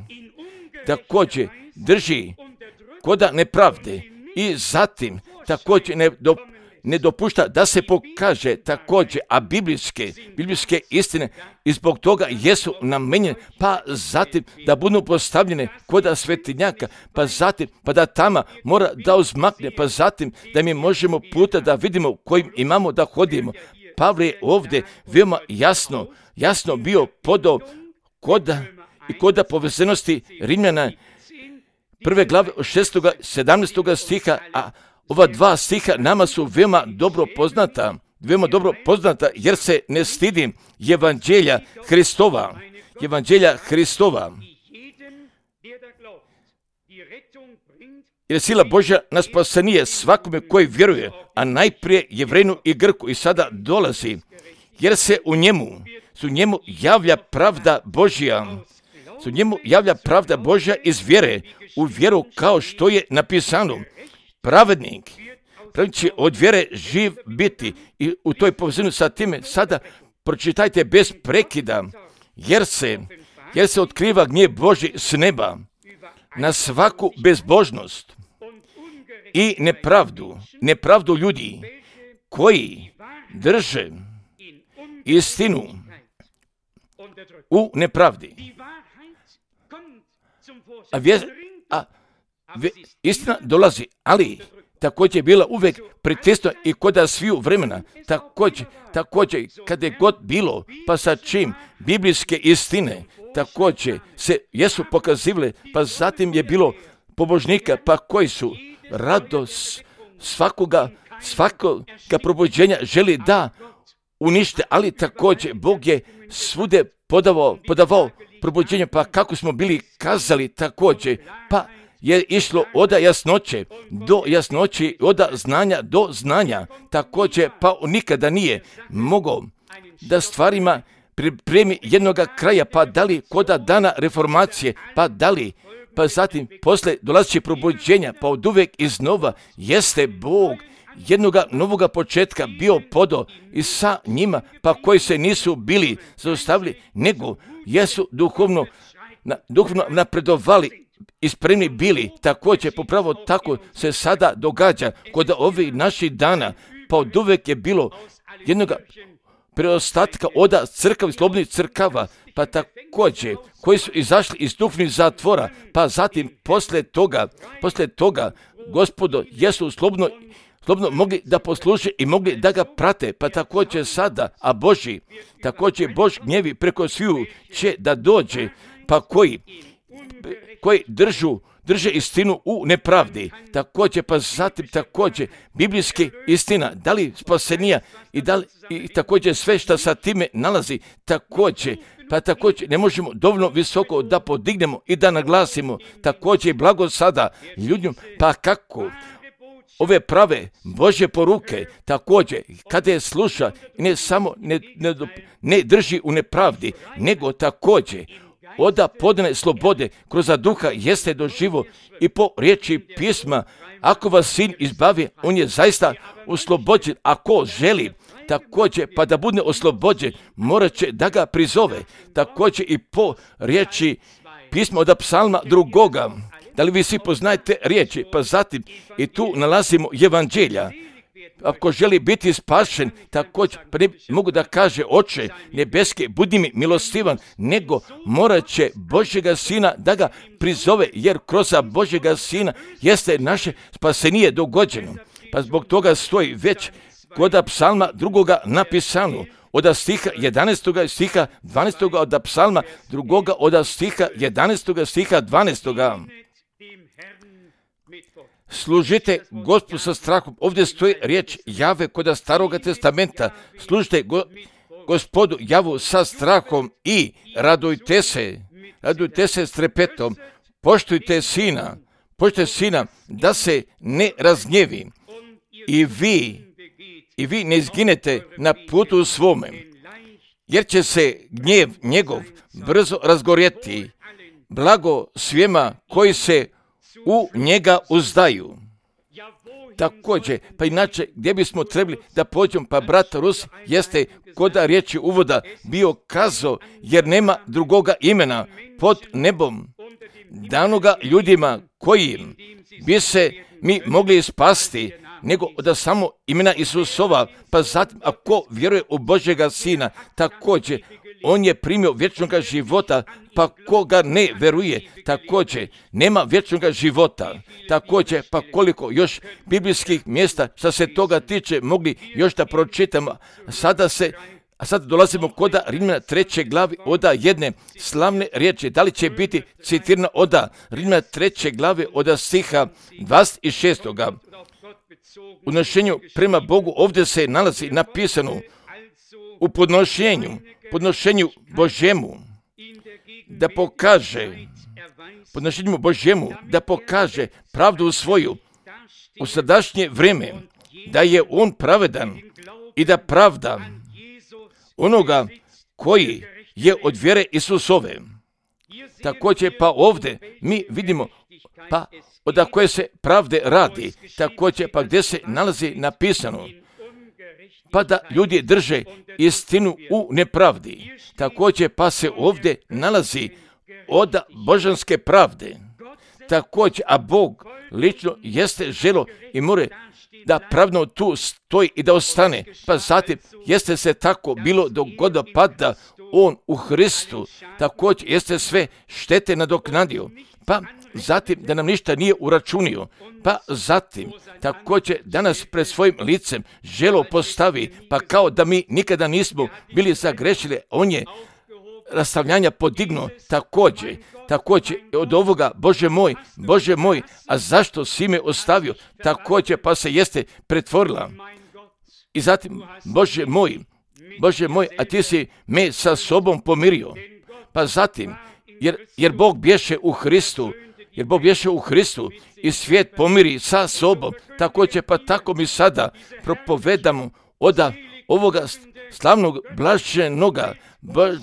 također drži koda nepravde i zatim također ne dopušta da se pokaže također, a biblijske istine i zbog toga jesu namenjene, pa zatim da budu postavljene koda svetinjaka, pa zatim pa da tama mora da uzmakne, pa zatim da mi možemo puta da vidimo kojim imamo da hodimo. Pavle je ovdje veoma jasno bio podao koda povezanosti Rimljana 1. glave 6. 17. stiha, a ova dva stiha nama su veoma dobro poznata, jer se ne stidim evanđelja Hristova. Jer sila Božja na spasenije svakome koji vjeruje, a najprije Jevrejinu i Grku, i sada dolazi, jer se u njemu javlja pravda Božja iz vjere u vjeru, kao što je napisano. Pravednik će od vjere živ biti, i u toj povezanju sa time sada pročitajte bez prekida, jer se otkriva gnjev Božji s neba na svaku bezbožnost i nepravdu ljudi koji drže istinu u nepravdi. Istina dolazi, ali također je bila uvijek pritisnuta i kod sviju vremena. Također, kada je god bilo, pa sa čim biblijske istine također se jesu pokazivale, pa zatim je bilo pobožnika, pa koji su radost svakoga probuđenja želi da unište, ali također Bog je svude podavao probuđenje, pa kako smo bili kazali također, pa je išlo od jasnoće do jasnoće, od znanja do znanja, također pa nikada nije mogao da stvarima pripremi jednoga kraja, pa da li koda dana reformacije, pa zatim posle dolazeći probuđenja, pa od uvijek iznova jeste Bog jednoga novoga početka bio podao i sa njima, pa koji se nisu bili zaustavili, nego jesu duhovno napredovali i spremni bili. Također, popravo tako se sada događa kod ovih naših dana, pa od uvijek je bilo jednoga preostatka od crkava, slobodnih crkava, pa također koji su izašli iz duhovnih zatvora, pa zatim posle toga Gospodo, jesu slobodno mogli da posluže i mogli da ga prate, pa također sada, a također Bož gnjevi preko sviju će da dođe, pa koji drže istinu u nepravdi, također, pa zatim također biblijski istina, da li spasenija i također sve što sa time nalazi, također ne možemo dovoljno visoko da podignemo i da naglasimo, također blago sada ljudima, pa kako ove prave Božje poruke, također kada je sluša, ne samo ne drži u nepravdi, nego također oda podane slobode kroz duha jeste doživo i po riječi pisma, ako vas sin izbavi, on je zaista oslobođen, ako želi također pa da bude oslobođen, morat će da ga prizove, također i po riječi pisma od psalma 2. Da li vi svi poznajete riječi, pa zatim i tu nalazimo evanđelja. Ako želi biti spašen, također pa ne mogu da kaže Oče nebeske, budi mi milostivan, nego morat će Božjega sina da ga prizove, jer kroz Božjega sina jeste naše spasenije dogođeno. Pa zbog toga stoji već kod psalma 2. napisano, od stiha 11. stiha 12. od psalma 2. od stiha 11. stiha 12. Služite Gospodu sa strahom. Ovdje stoji riječ Jave kod Staroga testamenta. Služite Gospodu Javu sa strahom i radujte se s trepetom. Poštujte sina da se ne razgnjevi i vi ne izginete na putu svome, jer će se gnjev njegov brzo razgorjeti. Blago svima koji se u njega uzdaju. Također, pa inače, gdje bismo trebali da pođemo, pa brat Rus jeste kod riječi uvoda bio kazao, jer nema drugoga imena pod nebom danoga ljudima kojim bi se mi mogli spasti, nego da samo imena Isusova, pa zatim ako vjeruje u Božjega sina, također on je primio vječnoga života, pa koga ne veruje, također nema vječnoga života. Također, pa koliko još biblijskih mjesta što se toga tiče mogli još da pročitamo. A sad dolazimo kod Rimljana 3. glavi od jedne slavne riječi. Da li će biti citirana od Rimljana 3. glavi od stiha 26. U odnošenju prema Bogu ovdje se nalazi napisano u podnošenju Božjemu da pokaže pravdu svoju u sadašnje vrijeme, da je on pravedan i da pravda onoga koji je od vjere Isusove. Također pa ovdje mi vidimo pa od koje se pravde radi, također pa gdje se nalazi napisano pa da ljudi drže istinu u nepravdi. Također pa se ovdje nalazi od božanske pravde. Također, a Bog lično jeste želo i more da pravno tu stoji i da ostane. Pa zatim jeste se tako bilo dok god pada on u Hristu, također jeste sve štete nadoknadio. Pa zatim da nam ništa nije uračunio, pa zatim također danas pred svojim licem želo postavi, pa kao da mi nikada nismo bili zagrešili, on je rastavljanja podignuo također od ovoga, Bože moj, a zašto si me ostavio, također pa se jeste pretvorila. I zatim, Bože moj, a ti si me sa sobom pomirio. Pa zatim, jer Bog bješe u Hristu i svijet pomiri sa sobom, također pa tako mi sada propovedamo od ovoga slavnog blaženoga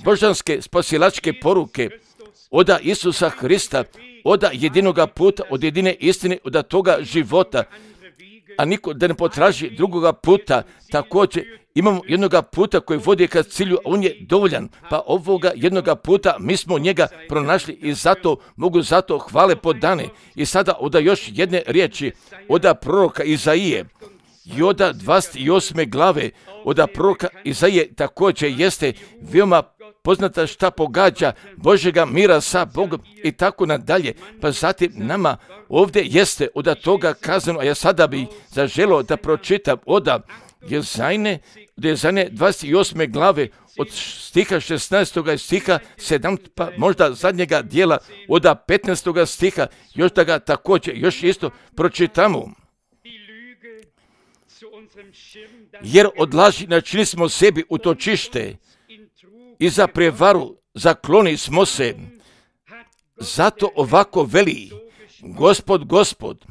božanske spasilačke poruke od Isusa Hrista, od jedinoga puta, od jedine istine, od toga života, a niko da ne potraži drugoga puta. Također imamo jednoga puta koji vodi ka cilju, a on je dovoljan, pa ovoga jednoga puta mi smo njega pronašli i zato hvale podane. I sada od još jedne riječi od proroka Izaije i od 28. glave od proroka Izaije također jeste veoma poznata šta pogađa Božjega mira sa Bogom i tako nadalje. Pa zatim nama ovdje jeste od toga kazano, a ja sada bi zaželio da pročitam od Jezajne 28. glave od stiha 16. stiha 7. pa možda zadnjega dijela od 15. stiha, još da ga također još isto pročitamo. Jer od laži načinili smo sebi utočište i za prevaru zakloni smo se. Zato ovako veli Gospod,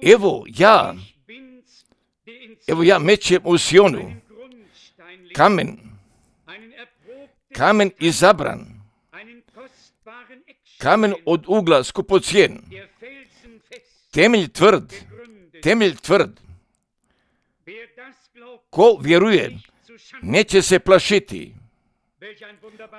evo ja mećem u Sionu kamen izabran, kamen od ugla skupocijen, temelj tvrd. Ko vjeruje, neće se plašiti.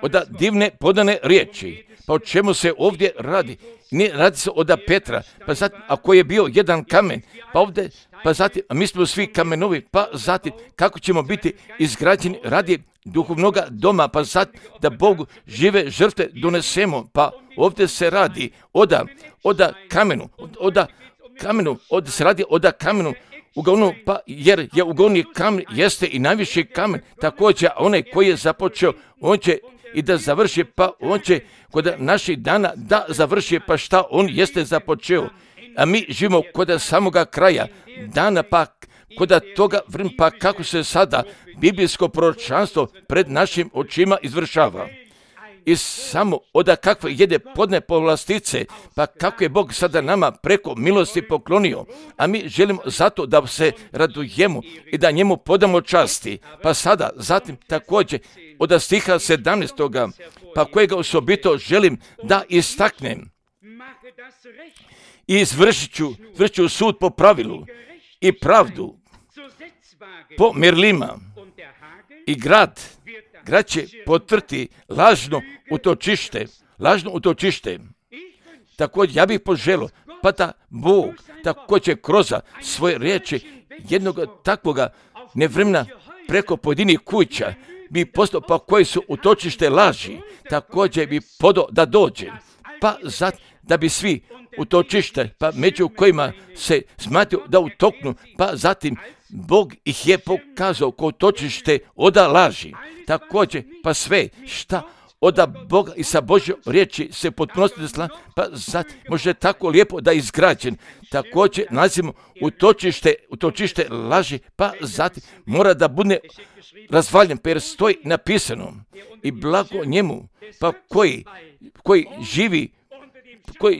Od divne podane riječi. Pa o čemu se ovdje radi? Ne radi se od Petra. Pa zatim, ako je bio jedan kamen, pa ovdje, pa zatim, a mi smo svi kamenovi, pa zatim, kako ćemo biti izgrađeni radi duhovnoga doma, pa zatim, da Bogu žive žrtve donesemo. Pa ovdje se radi od kamenu, uglavnom, pa jer je uglavni kamen jeste i najviši kamen, također onaj koji je započeo, on će i da završi, pa on će kod naših dana da završi, pa šta on jeste započeo. A mi živimo kod samoga kraja dana, pa kod toga vremena, pa kako se sada biblijsko proročanstvo pred našim očima izvršava. I samo od kakve jede podne povlastice, pa kako je Bog sada nama preko milosti poklonio, a mi želimo zato da se radujemo i da njemu podamo časti. Pa sada, zatim također od stiha 17. pa kojega osobito želim da istaknem. I izvršit ću sud po pravilu i pravdu po mjerilima i grad će potvrditi lažno utočište. Također ja bih poželio, pa da Bog također kroz svoje riječi jednog takvoga nevremena preko pojedinih kuća bi postao, pa koji su utočište laži, također bi podao da dođe, pa da bi svi utočište, pa među kojima se smatraju da utoknu, pa zatim Bog ih je pokazao kao utočište od laži. Također, pa sve šta od Boga i sa Božjom riječi se potpunosti desla, pa zatim može tako lijepo da je izgrađen. Također nalazimo utočište laži, pa zatim mora da bude razvaljen, pa jer stoji napisano i blago njemu, pa koji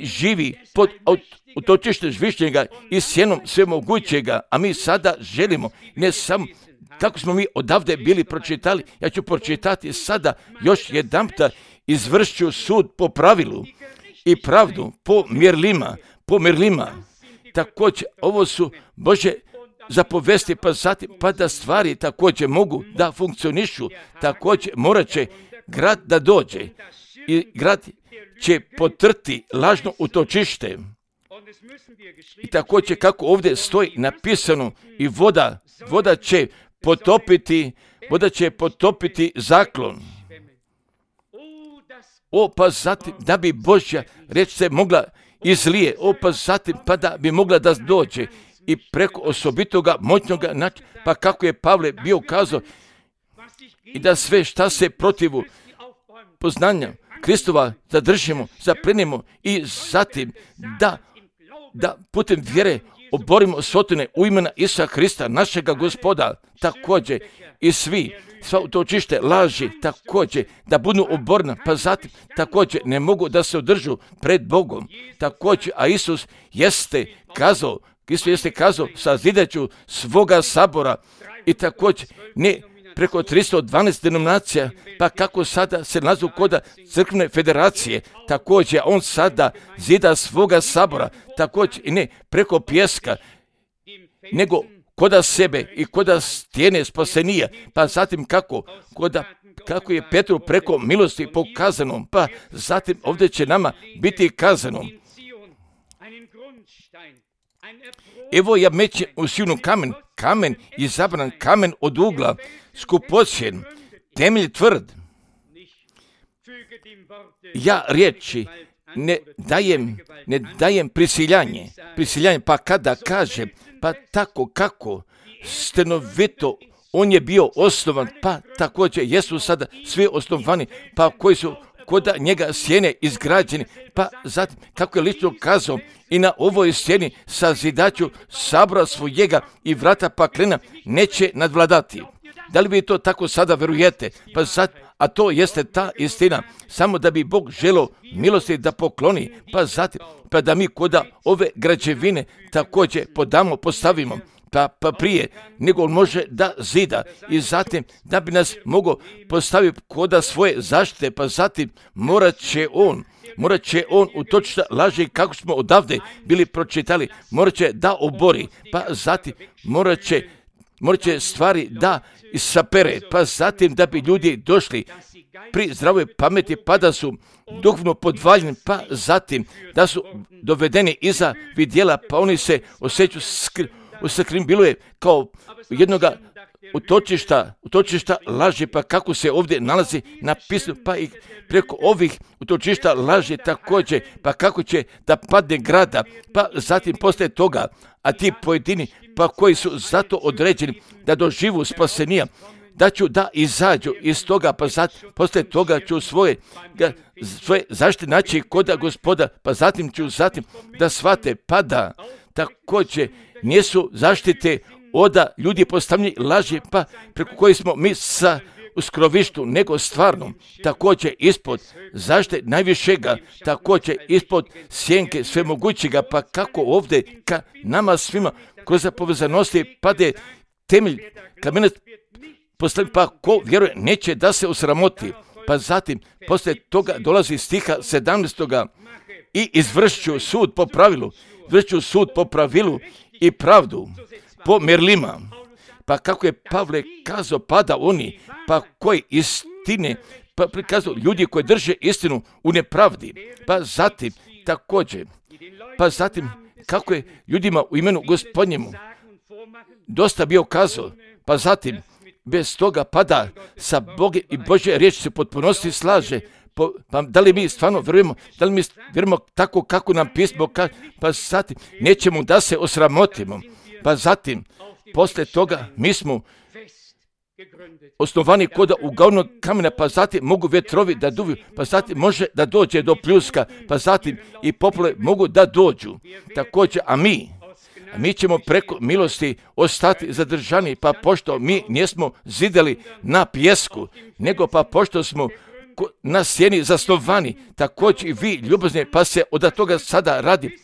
živi pod utočište Zvišnjega i sjenom svemogućega, a mi sada želimo, ne samo kako smo mi odavde bili pročitali, ja ću pročitati sada još jedanputa, izvršću sud po pravilu i pravdu po mjerilima. Također, ovo su Božje zapovesti, pa zatim, pa da stvari također mogu da funkcionišu, također morat će grad da dođe i grad će potrti lažno utočište. I također kako ovdje stoji napisano i voda će potopiti zaklon. Pa zatim da bi Božja riječ se mogla izlije, pa zatim pa da bi mogla da dođe i preko osobitoga moćnoga načina, pa kako je Pavle bio kazao i da sve šta se protivu poznanja Kristova zadržimo, zaplenimo i zatim da putem vjere oborimo sotone u imena Isusa Krista, našega Gospoda, također i sva utočište laži, također da budu oborna, pa zatim također ne mogu da se održu pred Bogom, također, a Isus jeste kazao, sazidaću svoga sabora i također ne preko 312 denominacija, pa kako sada se nalazu kod crkvene federacije, također on sada zida svoga sabora, također i ne preko pjeska, nego koda sebe i koda stijene spasenija, pa zatim kako je Petru preko milosti pokazano, pa zatim ovdje će nama biti kazano. Evo ja mećem u Sionu kamen izabran, kamen od ugla, skupocjen, temelj tvrd. ja riječi ne dajem prisiljanje, pa kada kaže, pa tako kako stenovito on je bio osnovan, pa također jesu sada svi osnovani, pa koji su kod njega sjene izgrađeni, pa zatim kako je lično kazao i na ovoj sjeni sazidaću sabora svojega i vrata paklena neće nadvladati. Da li vi to tako sada verujete? Pa zatim, a to jeste ta istina, samo da bi Bog želio milosti da pokloni, pa zatim, pa da mi kod ove građevine također postavimo, pa prije nego on može da zida i zatim da bi nas mogao postaviti kod svoje zaštite, pa zatim morat će on utočiti laži kako smo odavde bili pročitali, morat će da obori, pa zatim morat će stvari da isapere, pa zatim da bi ljudi došli pri zdravoj pameti, pa da su duhovno podvaljeni, pa zatim da su dovedeni iza vidjela, pa oni se osjećaju usakrimbiluje kao jednoga utočišta laži, pa kako se ovdje nalazi napisano, pa i preko ovih utočišta laži također, pa kako će da padne grada, pa zatim poslije toga, a ti pojedini, pa koji su zato određeni da doživu spasenija, da ću da izađu iz toga, pa zatim poslije toga ću svoje zaštite naći kod Gospoda, pa zatim ću da shvate, pa da također nisu zaštite od ljudi postavljeni laži, pa preko koji smo mi u skrovištu, nego stvarno također ispod zaštite najvišega, također ispod sjenke svemogućega, pa kako ovdje ka nama svima kroz povezanosti pade temelj kamenac postavljen, pa ko vjeruje neće da se osramoti. Pa zatim poslije toga dolazi stiha 17. i izvršću sud po pravilu i pravdu po merlima. Pa kako je Pavle kazao, pada oni, pa koji istine, pa prikazao ljudi koji drže istinu u nepravdi. Pa zatim također, pa zatim kako je ljudima u imenu Gospodnjemu dosta bio kazao, pa zatim bez toga pada sa Boge i Božje riječi se potpunosti slaže. Pa da li mi stvarno vjerujemo tako kako nam pismo kaže, pa zatim nećemo da se osramotimo, pa zatim poslije toga mi smo osnovani kod uglavnog kamena, pa zatim mogu vjetrovi da duviju, pa zatim može da dođe do pljuska, pa zatim i poplave mogu da dođu. Također, a mi ćemo preko milosti ostati zadržani, pa pošto mi nismo zidali na pijesku, nego pa pošto smo na sjeni zasnovani, također i vi ljubazni, pa se od toga sada radi.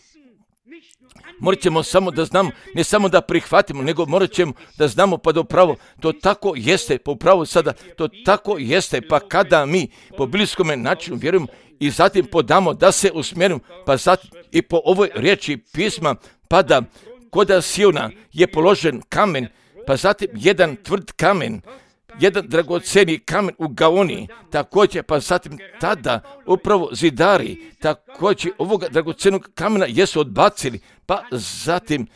Morat ćemo samo da znamo, ne samo da prihvatimo, nego morat ćemo da znamo, pa da upravo to tako jeste, pa upravo sada to tako jeste, pa kada mi po biblijskome načinu vjerujemo i zatim podamo da se usmjerimo, pa zatim i po ovoj riječi pisma, pa da kod Siona je položen kamen, pa zatim jedan tvrd kamen, jedan dragoceni kamen u Gaoni, također, pa zatim tada upravo zidari, također ovoga dragocenog kamena jesu odbacili, pa zatim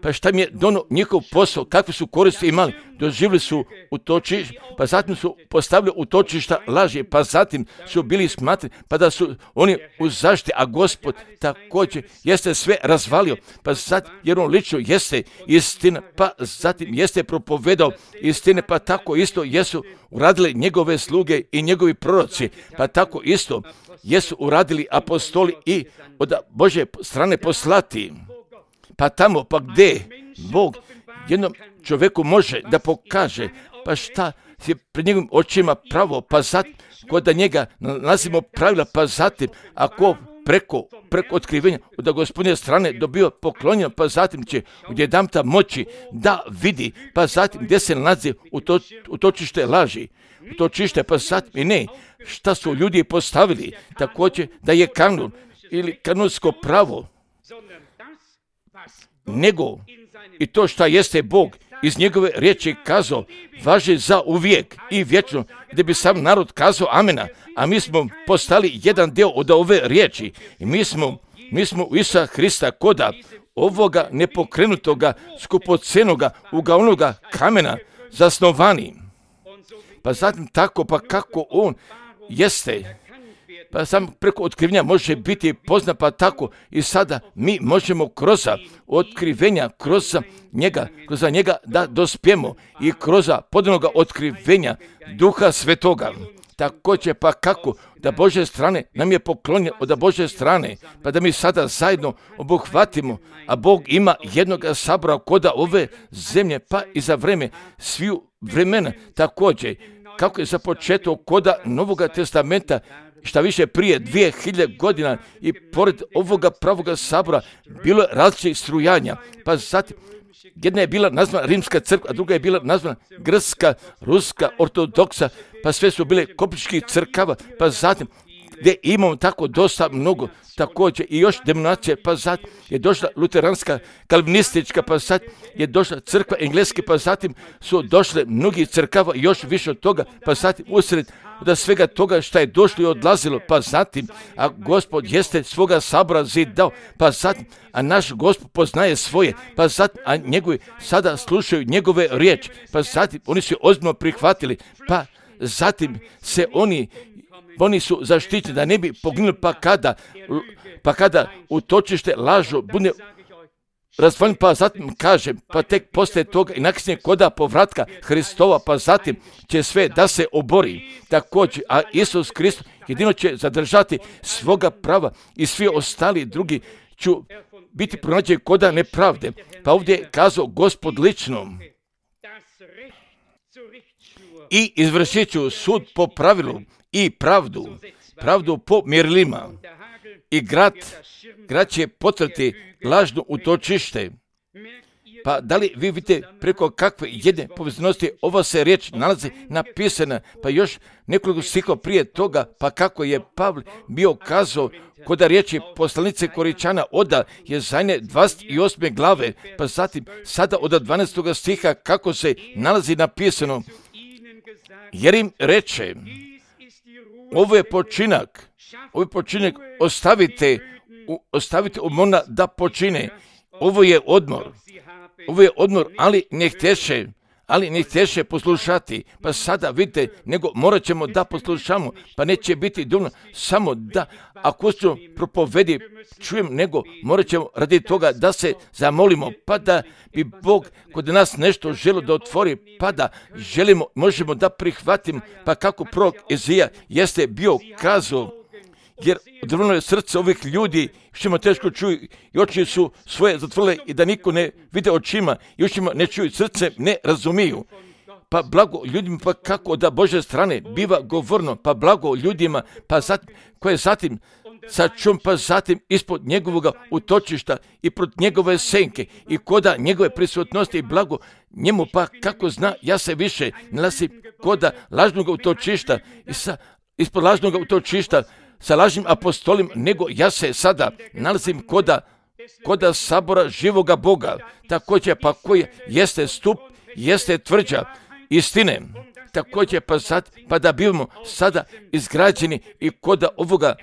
pa šta mi je dono njihov posao, kakve su koristi imali, doživjeli su utočište, pa zatim su postavili utočišta laži, pa zatim su bili smatrani, pa da su oni u zaštiti, a Gospod također jeste sve razvalio, pa zatim, jer on lično jeste istina, pa zatim jeste propovedao istine, pa tako isto jesu uradili njegove sluge i njegovi proroci, pa tako isto jesu uradili apostoli i od Božje strane poslati. Pa tamo, pa gdje Bog jednom čovjeku može da pokaže, pa šta je pred njegovim očima pravo, pa zatim kod da njega nalazimo pravila, pa zatim ako preko otkrivenja od Gospodnje strane dobio poklonjeno, pa zatim će odjedanputa moći da vidi, pa zatim gdje se nalazi utočište laži, utočište, pa zatim i ne, šta su ljudi postavili, također da je kanun ili kanonsko pravo, nego i to šta jeste Bog iz njegove riječi kazao, važi za uvijek i vječno, gdje bi sam narod kazao amena, a mi smo postali jedan dio od ove riječi i mi smo u Isusa Hrista koda ovoga nepokrenutoga, skupocenoga, uglavnoga kamena zasnovani. pa zatim tako, pa kako on jeste, pa sam preko otkrivenja može biti poznat, pa tako i sada mi možemo kroz otkrivenja, kroz njega da dospijemo i kroz podanog otkrivenja Duha Svetoga. Također, pa kako da Božje strane nam je poklonjeno od Božje strane, pa da mi sada zajedno obuhvatimo, a Bog ima jednog sabora koda ove zemlje, pa i za vreme sviju vremena. Također, kako je započeto koda Novoga testamenta, šta više prije 2000 godina i pored ovoga pravoga sabora bilo je različitih strujanja, pa zatim jedna je bila nazvana Rimska crkva, a druga je bila nazvana Grčka, Ruska, Ortodoksa, pa sve su bile koptičkih crkava, pa zatim gdje imamo tako dosta mnogo, također i još denominacije, pa zatim je došla luteranska, kalvinistička, pa zatim je došla crkva engleske, pa zatim su došle mnogi crkava i još više od toga, pa zatim usred da svega toga što je došlo i odlazilo, pa zatim, a Gospod jeste svoga sabora zidao, pa zatim, a naš Gospod poznaje svoje, pa zatim, a njegovi sada slušaju njegove riječi, pa zatim oni su ozbiljno prihvatili, pa zatim se oni su zaštićeni da ne bi poginuli, pa kada utočište lažu bude razvaljen, pa zatim kažem, pa tek poslije toga i nakon koda povratka Hristova, pa zatim će sve da se obori. Također, a Isus Kristus jedino će zadržati svoga prava i svi ostali drugi ću biti pronađeni koda nepravde. Pa ovdje je kazao Gospod lično: i izvršit ću sud po pravilu i pravdu po mjerilima. I grad će potrati lažno utočište. Pa da li vi vidite preko kakve jedne povezanosti ova se riječ nalazi napisana, pa još nekoliko stihova prije toga, pa kako je Pavle bio kazao kod riječi poslanice Koričana od Jezajne 28. glave, pa zatim sada od 12. stiha kako se nalazi napisano: jer im reče, ovo je počinak, ostavite umorna da počine. Ovo je odmor, ali ne htješe poslušati. Pa sada vidite, nego morat ćemo da poslušamo, pa neće biti dovoljno samo da akustično propovedi čujem, nego morat ćemo radi toga da se zamolimo, pa da bi Bog kod nas nešto želio da otvori, pa da možemo da prihvatimo, pa kako prorok Izija jeste bio kazao, jer odvrnulo je srce ovih ljudi, što teško čuju i oči su svoje zatvorile i da niko ne vide očima i očima ne čuju, srce ne razumiju. Pa blago ljudima, pa kako da Božje strane biva govorno, pa blago ljudima, pa zatim, koje zatim sačum, pa zatim ispod njegovog utočišta i prot njegove senke i koda njegove prisutnosti i blago njemu, pa kako zna, ja se više nalazim koda lažnog utočišta i ispod lažnog utočišta sa lažnim apostolim, nego ja se sada nalazim koda sabora živoga Boga, također pa koji jeste stup, jeste tvrđa istine, također pa da bivamo sada izgrađeni i koda ovoga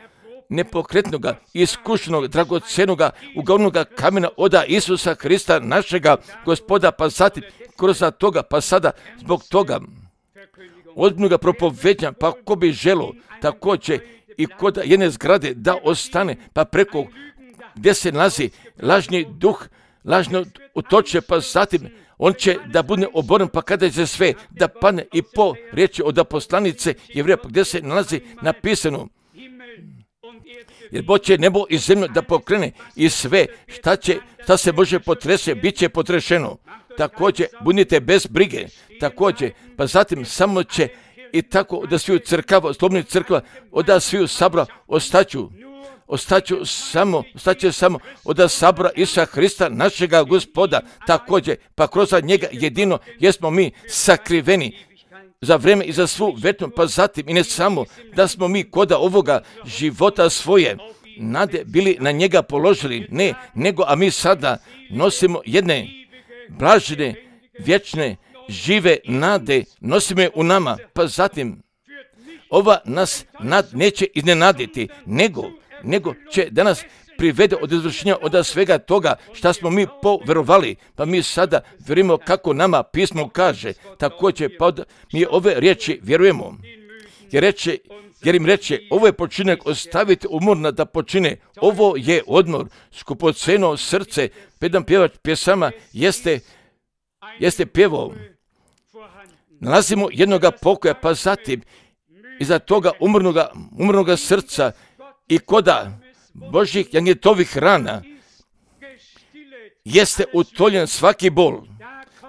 nepokretnoga, iskušenog, dragocenoga, uglavnoga kamena oda Isusa Hrista, našega Gospoda, pa zatim kroz toga, pa sada zbog toga ozbiljnoga propovednja, pa ko bi želo također i kod jedne zgrade da ostane, pa preko gdje se nalazi lažni duh, lažno utoče, pa zatim on će da bude oboren, pa kada će sve da padne i po riječi od poslanice Jevrija, pa gdje se nalazi napisano, jer Bog će nebo i zemlju da pokrene i sve šta se može potrese, bit će potrešeno. Također budite bez brige, također, pa zatim samo će i tako da sviju crkava, slobodnih crkva, od sviju sabora ostaću samo od sabora Isusa Hrista, našega Gospoda, također, pa kroz njega jedino jesmo mi sakriveni za vrijeme i za svu večnost, pa zatim i ne samo da smo mi koda ovoga života svoje nade bili na njega položili, ne, nego a mi sada nosimo jedne blažene, vječne, žive nade, nosimo je u nama, pa zatim ova nas neće iznenaditi, nego će danas privede od izvršenja od svega toga šta smo mi poverovali, pa mi sada vjerujemo kako nama pismo kaže, također pa mi ove riječi vjerujemo. Jer im reče, ovo je počinak, ostavite umorna da počine, ovo je odmor, skupoceno srce, jedan pjevač pjesama jeste pjevao. Nalazimo jednoga pokoja, pa zatim iza toga umornoga srca i koda Božjih janjetovih rana jeste utoljen svaki bol.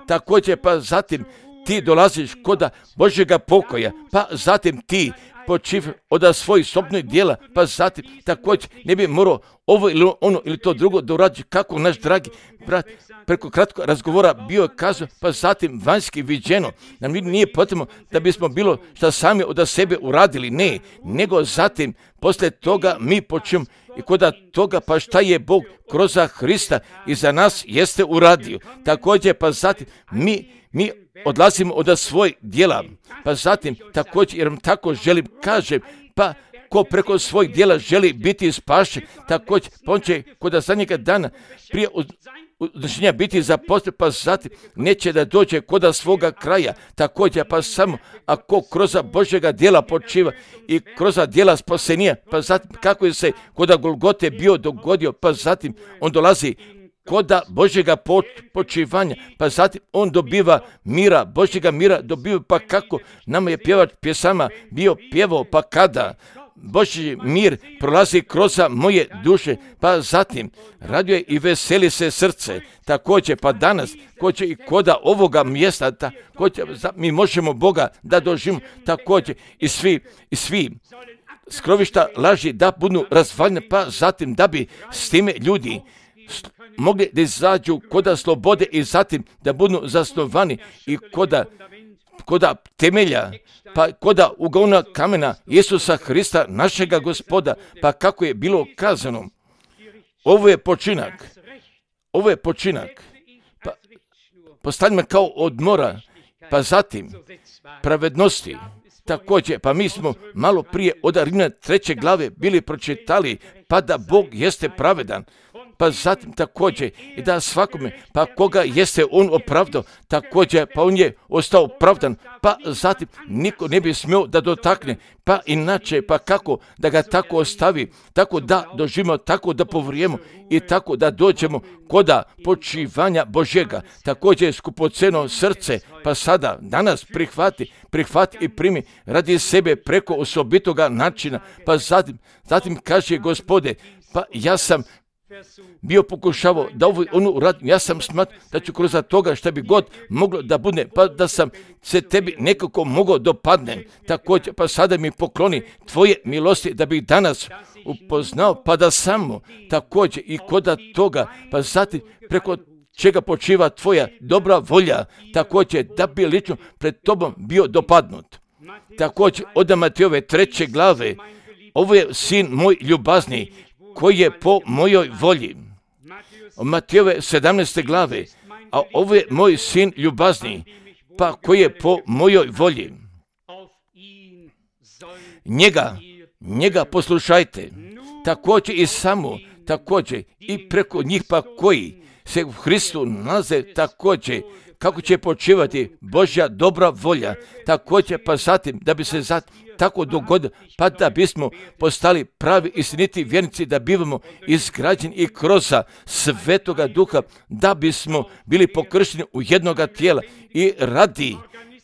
Također pa zatim ti dolaziš koda Božjega pokoja, pa zatim ti počiv od svojih sobnih dijela, pa zatim također ne bi morao ovo ili ono ili to drugo da uradi, kako naš dragi brat preko kratkog razgovora bio kazao, pa zatim vanjski viđeno. Nam nije potrebno da bismo bilo što sami od sebe uradili, ne, nego zatim poslije toga mi počnemo i kod toga pa šta je Bog kroz Hrista i za nas jeste uradio. Također pa zatim mi odlazimo od svojih djela, pa zatim također, jer vam tako želim, kažem, pa ko preko svojih djela želi biti spašen, također, pa on će kod zadnjega dana prije odnošenja biti zaposlen, pa zatim neće da dođe kod svoga kraja, također, pa samo ako kroz Božjega djela počiva i kroz djela spasenija, pa zatim kako je se kod Golgote bio dogodio, pa zatim on dolazi koda Božjega počivanja, pa zatim on dobiva mira, Božjega mira dobiva, pa kako nama je pjevač pjesama bio pjevao, pa kada Božji mir prolazi kroz moje duše, pa zatim raduje i veseli se srce. Također pa danas koće i koda ovoga mjesta, također mi možemo Boga da doživimo, također i svi skrovišta laži da budu razvaljene, pa zatim da bi s time ljudi mogli da izađu koda slobode i zatim da budu zasnovani i koda temelja, pa koda ugona kamena Isusa Hrista, našega Gospoda, pa kako je bilo kazano. Ovo je počinak, pa postavljamo kao odmora, pa zatim pravednosti. Također, pa mi smo malo prije od Rimljana 3. glave bili pročitali, pa da Bog jeste pravedan, pa zatim također i da svakome, pa koga jeste on opravdao, također pa on je ostao opravdan, pa zatim niko ne bi smio da dotakne, pa inače pa kako da ga tako ostavi, tako da doživimo, tako da povrijemo i tako da dođemo koda počivanja Božjega. Također skupoceno srce, pa sada danas prihvati i primi radi sebe preko osobitoga načina, pa zatim kaže Gospode, pa ja sam bio pokušavao da ovo ono uradim, ja sam smatrao da ću kroz toga što bi god moglo da bude, pa da sam se tebi nekako mogao dopadnem. Također, pa sada mi pokloni tvoje milosti da bih danas upoznao, pa da samo također i kod toga, pa zatim preko čega počiva tvoja dobra volja, također da bi lično pred tobom bio dopadnut. Također od Matejove 3. glave, ovo je sin moj ljubazni, koji je po mojoj volji. Od Matejove 17. glave, a ovo je moj sin ljubazni, pa koji je po mojoj volji. Njega poslušajte, također i samo, također i preko njih pa koji se u Hristu nalaze, također kako će počivati Božja dobra volja, također pa zatim da bi se tako dogodilo, pa da bismo postali pravi istiniti vjernici, da bivamo izgrađeni i kroz Svetoga Duha, da bismo bili pokršteni u jednoga tijela i radi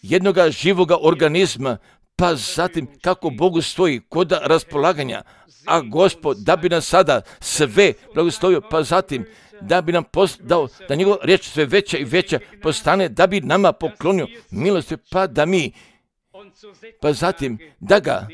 jednoga živoga organizma, pa zatim kako Bogu stoji kod raspolaganja, a Gospod da bi nas sada sve blagoslovio, pa zatim da bi nam dao da njegova riječ sve veća i veća postane, da bi nama poklonio milosti, pa zatim da ga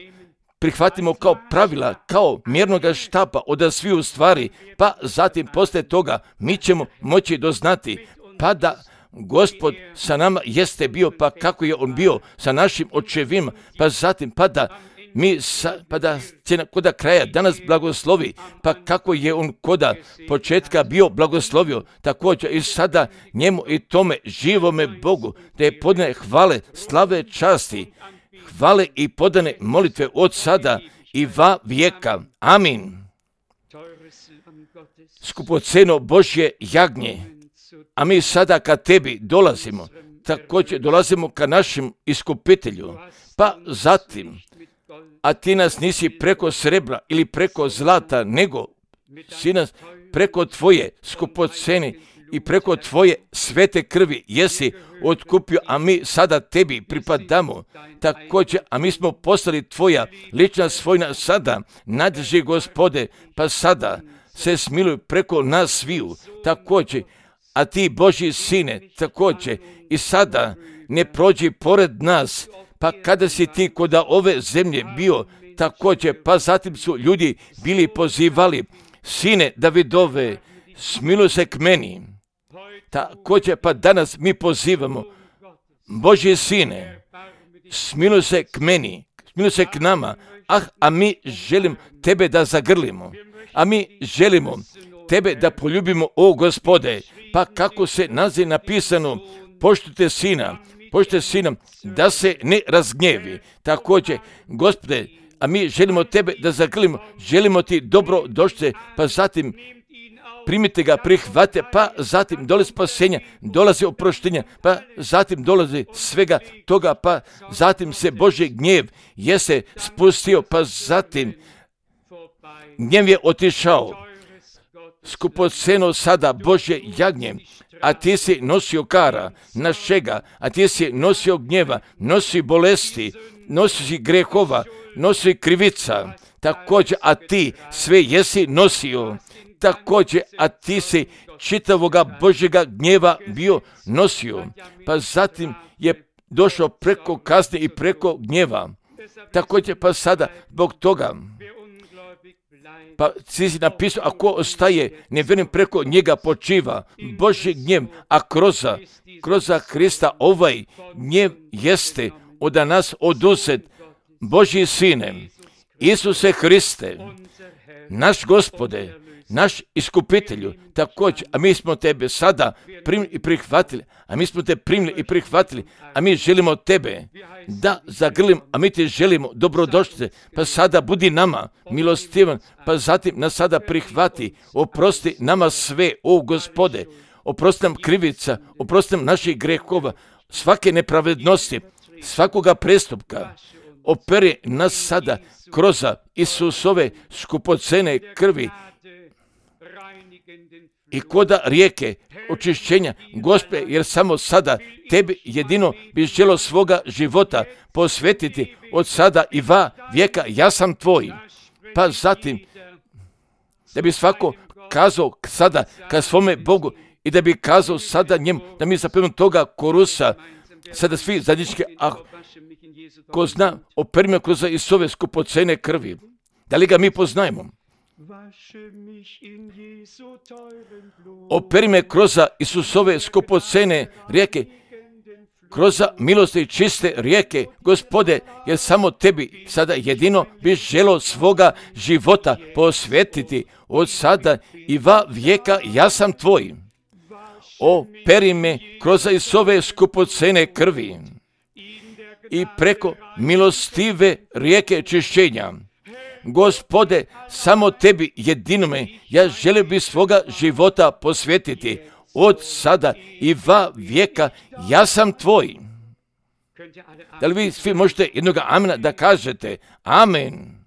prihvatimo kao pravila, kao mjernoga štapa od sviju stvari, pa zatim poslije toga mi ćemo moći doznati, pa da Gospod sa nama jeste bio, pa kako je on bio sa našim očevima, pa zatim pa da će koda kraja danas blagoslovi, pa kako je on koda početka bio blagoslovio, također i sada njemu i tome živome Bogu, da je podane hvale, slave, časti, hvale i podane molitve od sada i va vijeka. Amin. skupoceno Božje jagnje, a mi sada ka tebi dolazimo, također dolazimo ka našem iskupitelju, pa zatim, a ti nas nisi preko srebra ili preko zlata, nego si nas preko tvoje skupocene i preko tvoje svete krvi jesi otkupio, a mi sada tebi pripadamo. Također, a mi smo postali tvoja lična svojina sada, nadrži Gospode, pa sada se smiluj preko nas sviju, također, a ti Božji sine, također, i sada ne prođi pored nas, pa kada si ti kod ove zemlje bio, također, pa zatim su ljudi bili pozivali, sine Davidove, smiluj se k meni. Također, pa danas mi pozivamo, Božji sine, smiluj se k meni, smiluj se k nama, a mi želimo tebe da zagrlimo, a mi želimo tebe da poljubimo, o Gospode, pa kako se naziv napisano, poštujte sina, da se ne razgnjevi. Također, Gospode, a mi želimo tebe da zagrlimo, želimo ti dobro došli, pa zatim primite ga, prihvate, pa zatim dolazi spasenja, dolazi oproštenja, pa zatim dolazi svega toga, pa zatim se Božji gnjev jese spustio, pa zatim gnjev je otišao. Skupoceno sada Božje jagnje, a ti si nosio kara našega, a ti si nosio gnjeva, nosi bolesti, nosi grehova, nosi krivica, također, a ti sve jesi nosio, također, a ti si čitavoga Božjega gnjeva bio nosio, pa zatim je došao preko kazne i preko gnjeva, također, pa sada zbog toga, pa si napisao, ako ostaje nevjernim, preko njega počiva Božji gnjev, a kroz Krista ovaj gnjev jeste od nas oduzet. Božji sine, Isuse Hriste, naš Gospode, naš iskupitelju, također, a mi smo tebe sada primili i prihvatili, a mi želimo tebe da zagrlim, a mi ti želimo dobrodošlice, pa sada budi nama milostivan, pa zatim nas sada prihvati, oprosti nama sve, o Gospode, oprosti nam krivica, oprosti nam naših grehova, svake nepravednosti, svakoga prestupka, operi nas sada kroz Isusove skupocene krvi i koda rijeke očišćenja, Gospode, jer samo sada tebi jedino bi želo svoga života posvetiti od sada i va vijeka, ja sam tvoj. Pa zatim, da bi svako kazao sada ka svome Bogu i da bi kazao sada njemu, da mi zapevamo toga korusa, sada svi zajednički, ko zna, operi me kroz Isove skupocene krvi. Da li ga mi poznajemo? Operi me kroz Isusove skupocene rijeke, kroz milosti čiste rijeke, Gospode, jer samo tebi sada jedino bi želo svoga života posvetiti od sada i va vijeka, ja sam tvoj. Operi me kroz Isusove skupocene krvi i preko milostive rijeke čišćenja. Gospode, samo tebi jedinome ja želim bi svoga života posvetiti od sada i va vijeka, ja sam tvoj. Da li vi svi možete jednoga amena da kažete amen?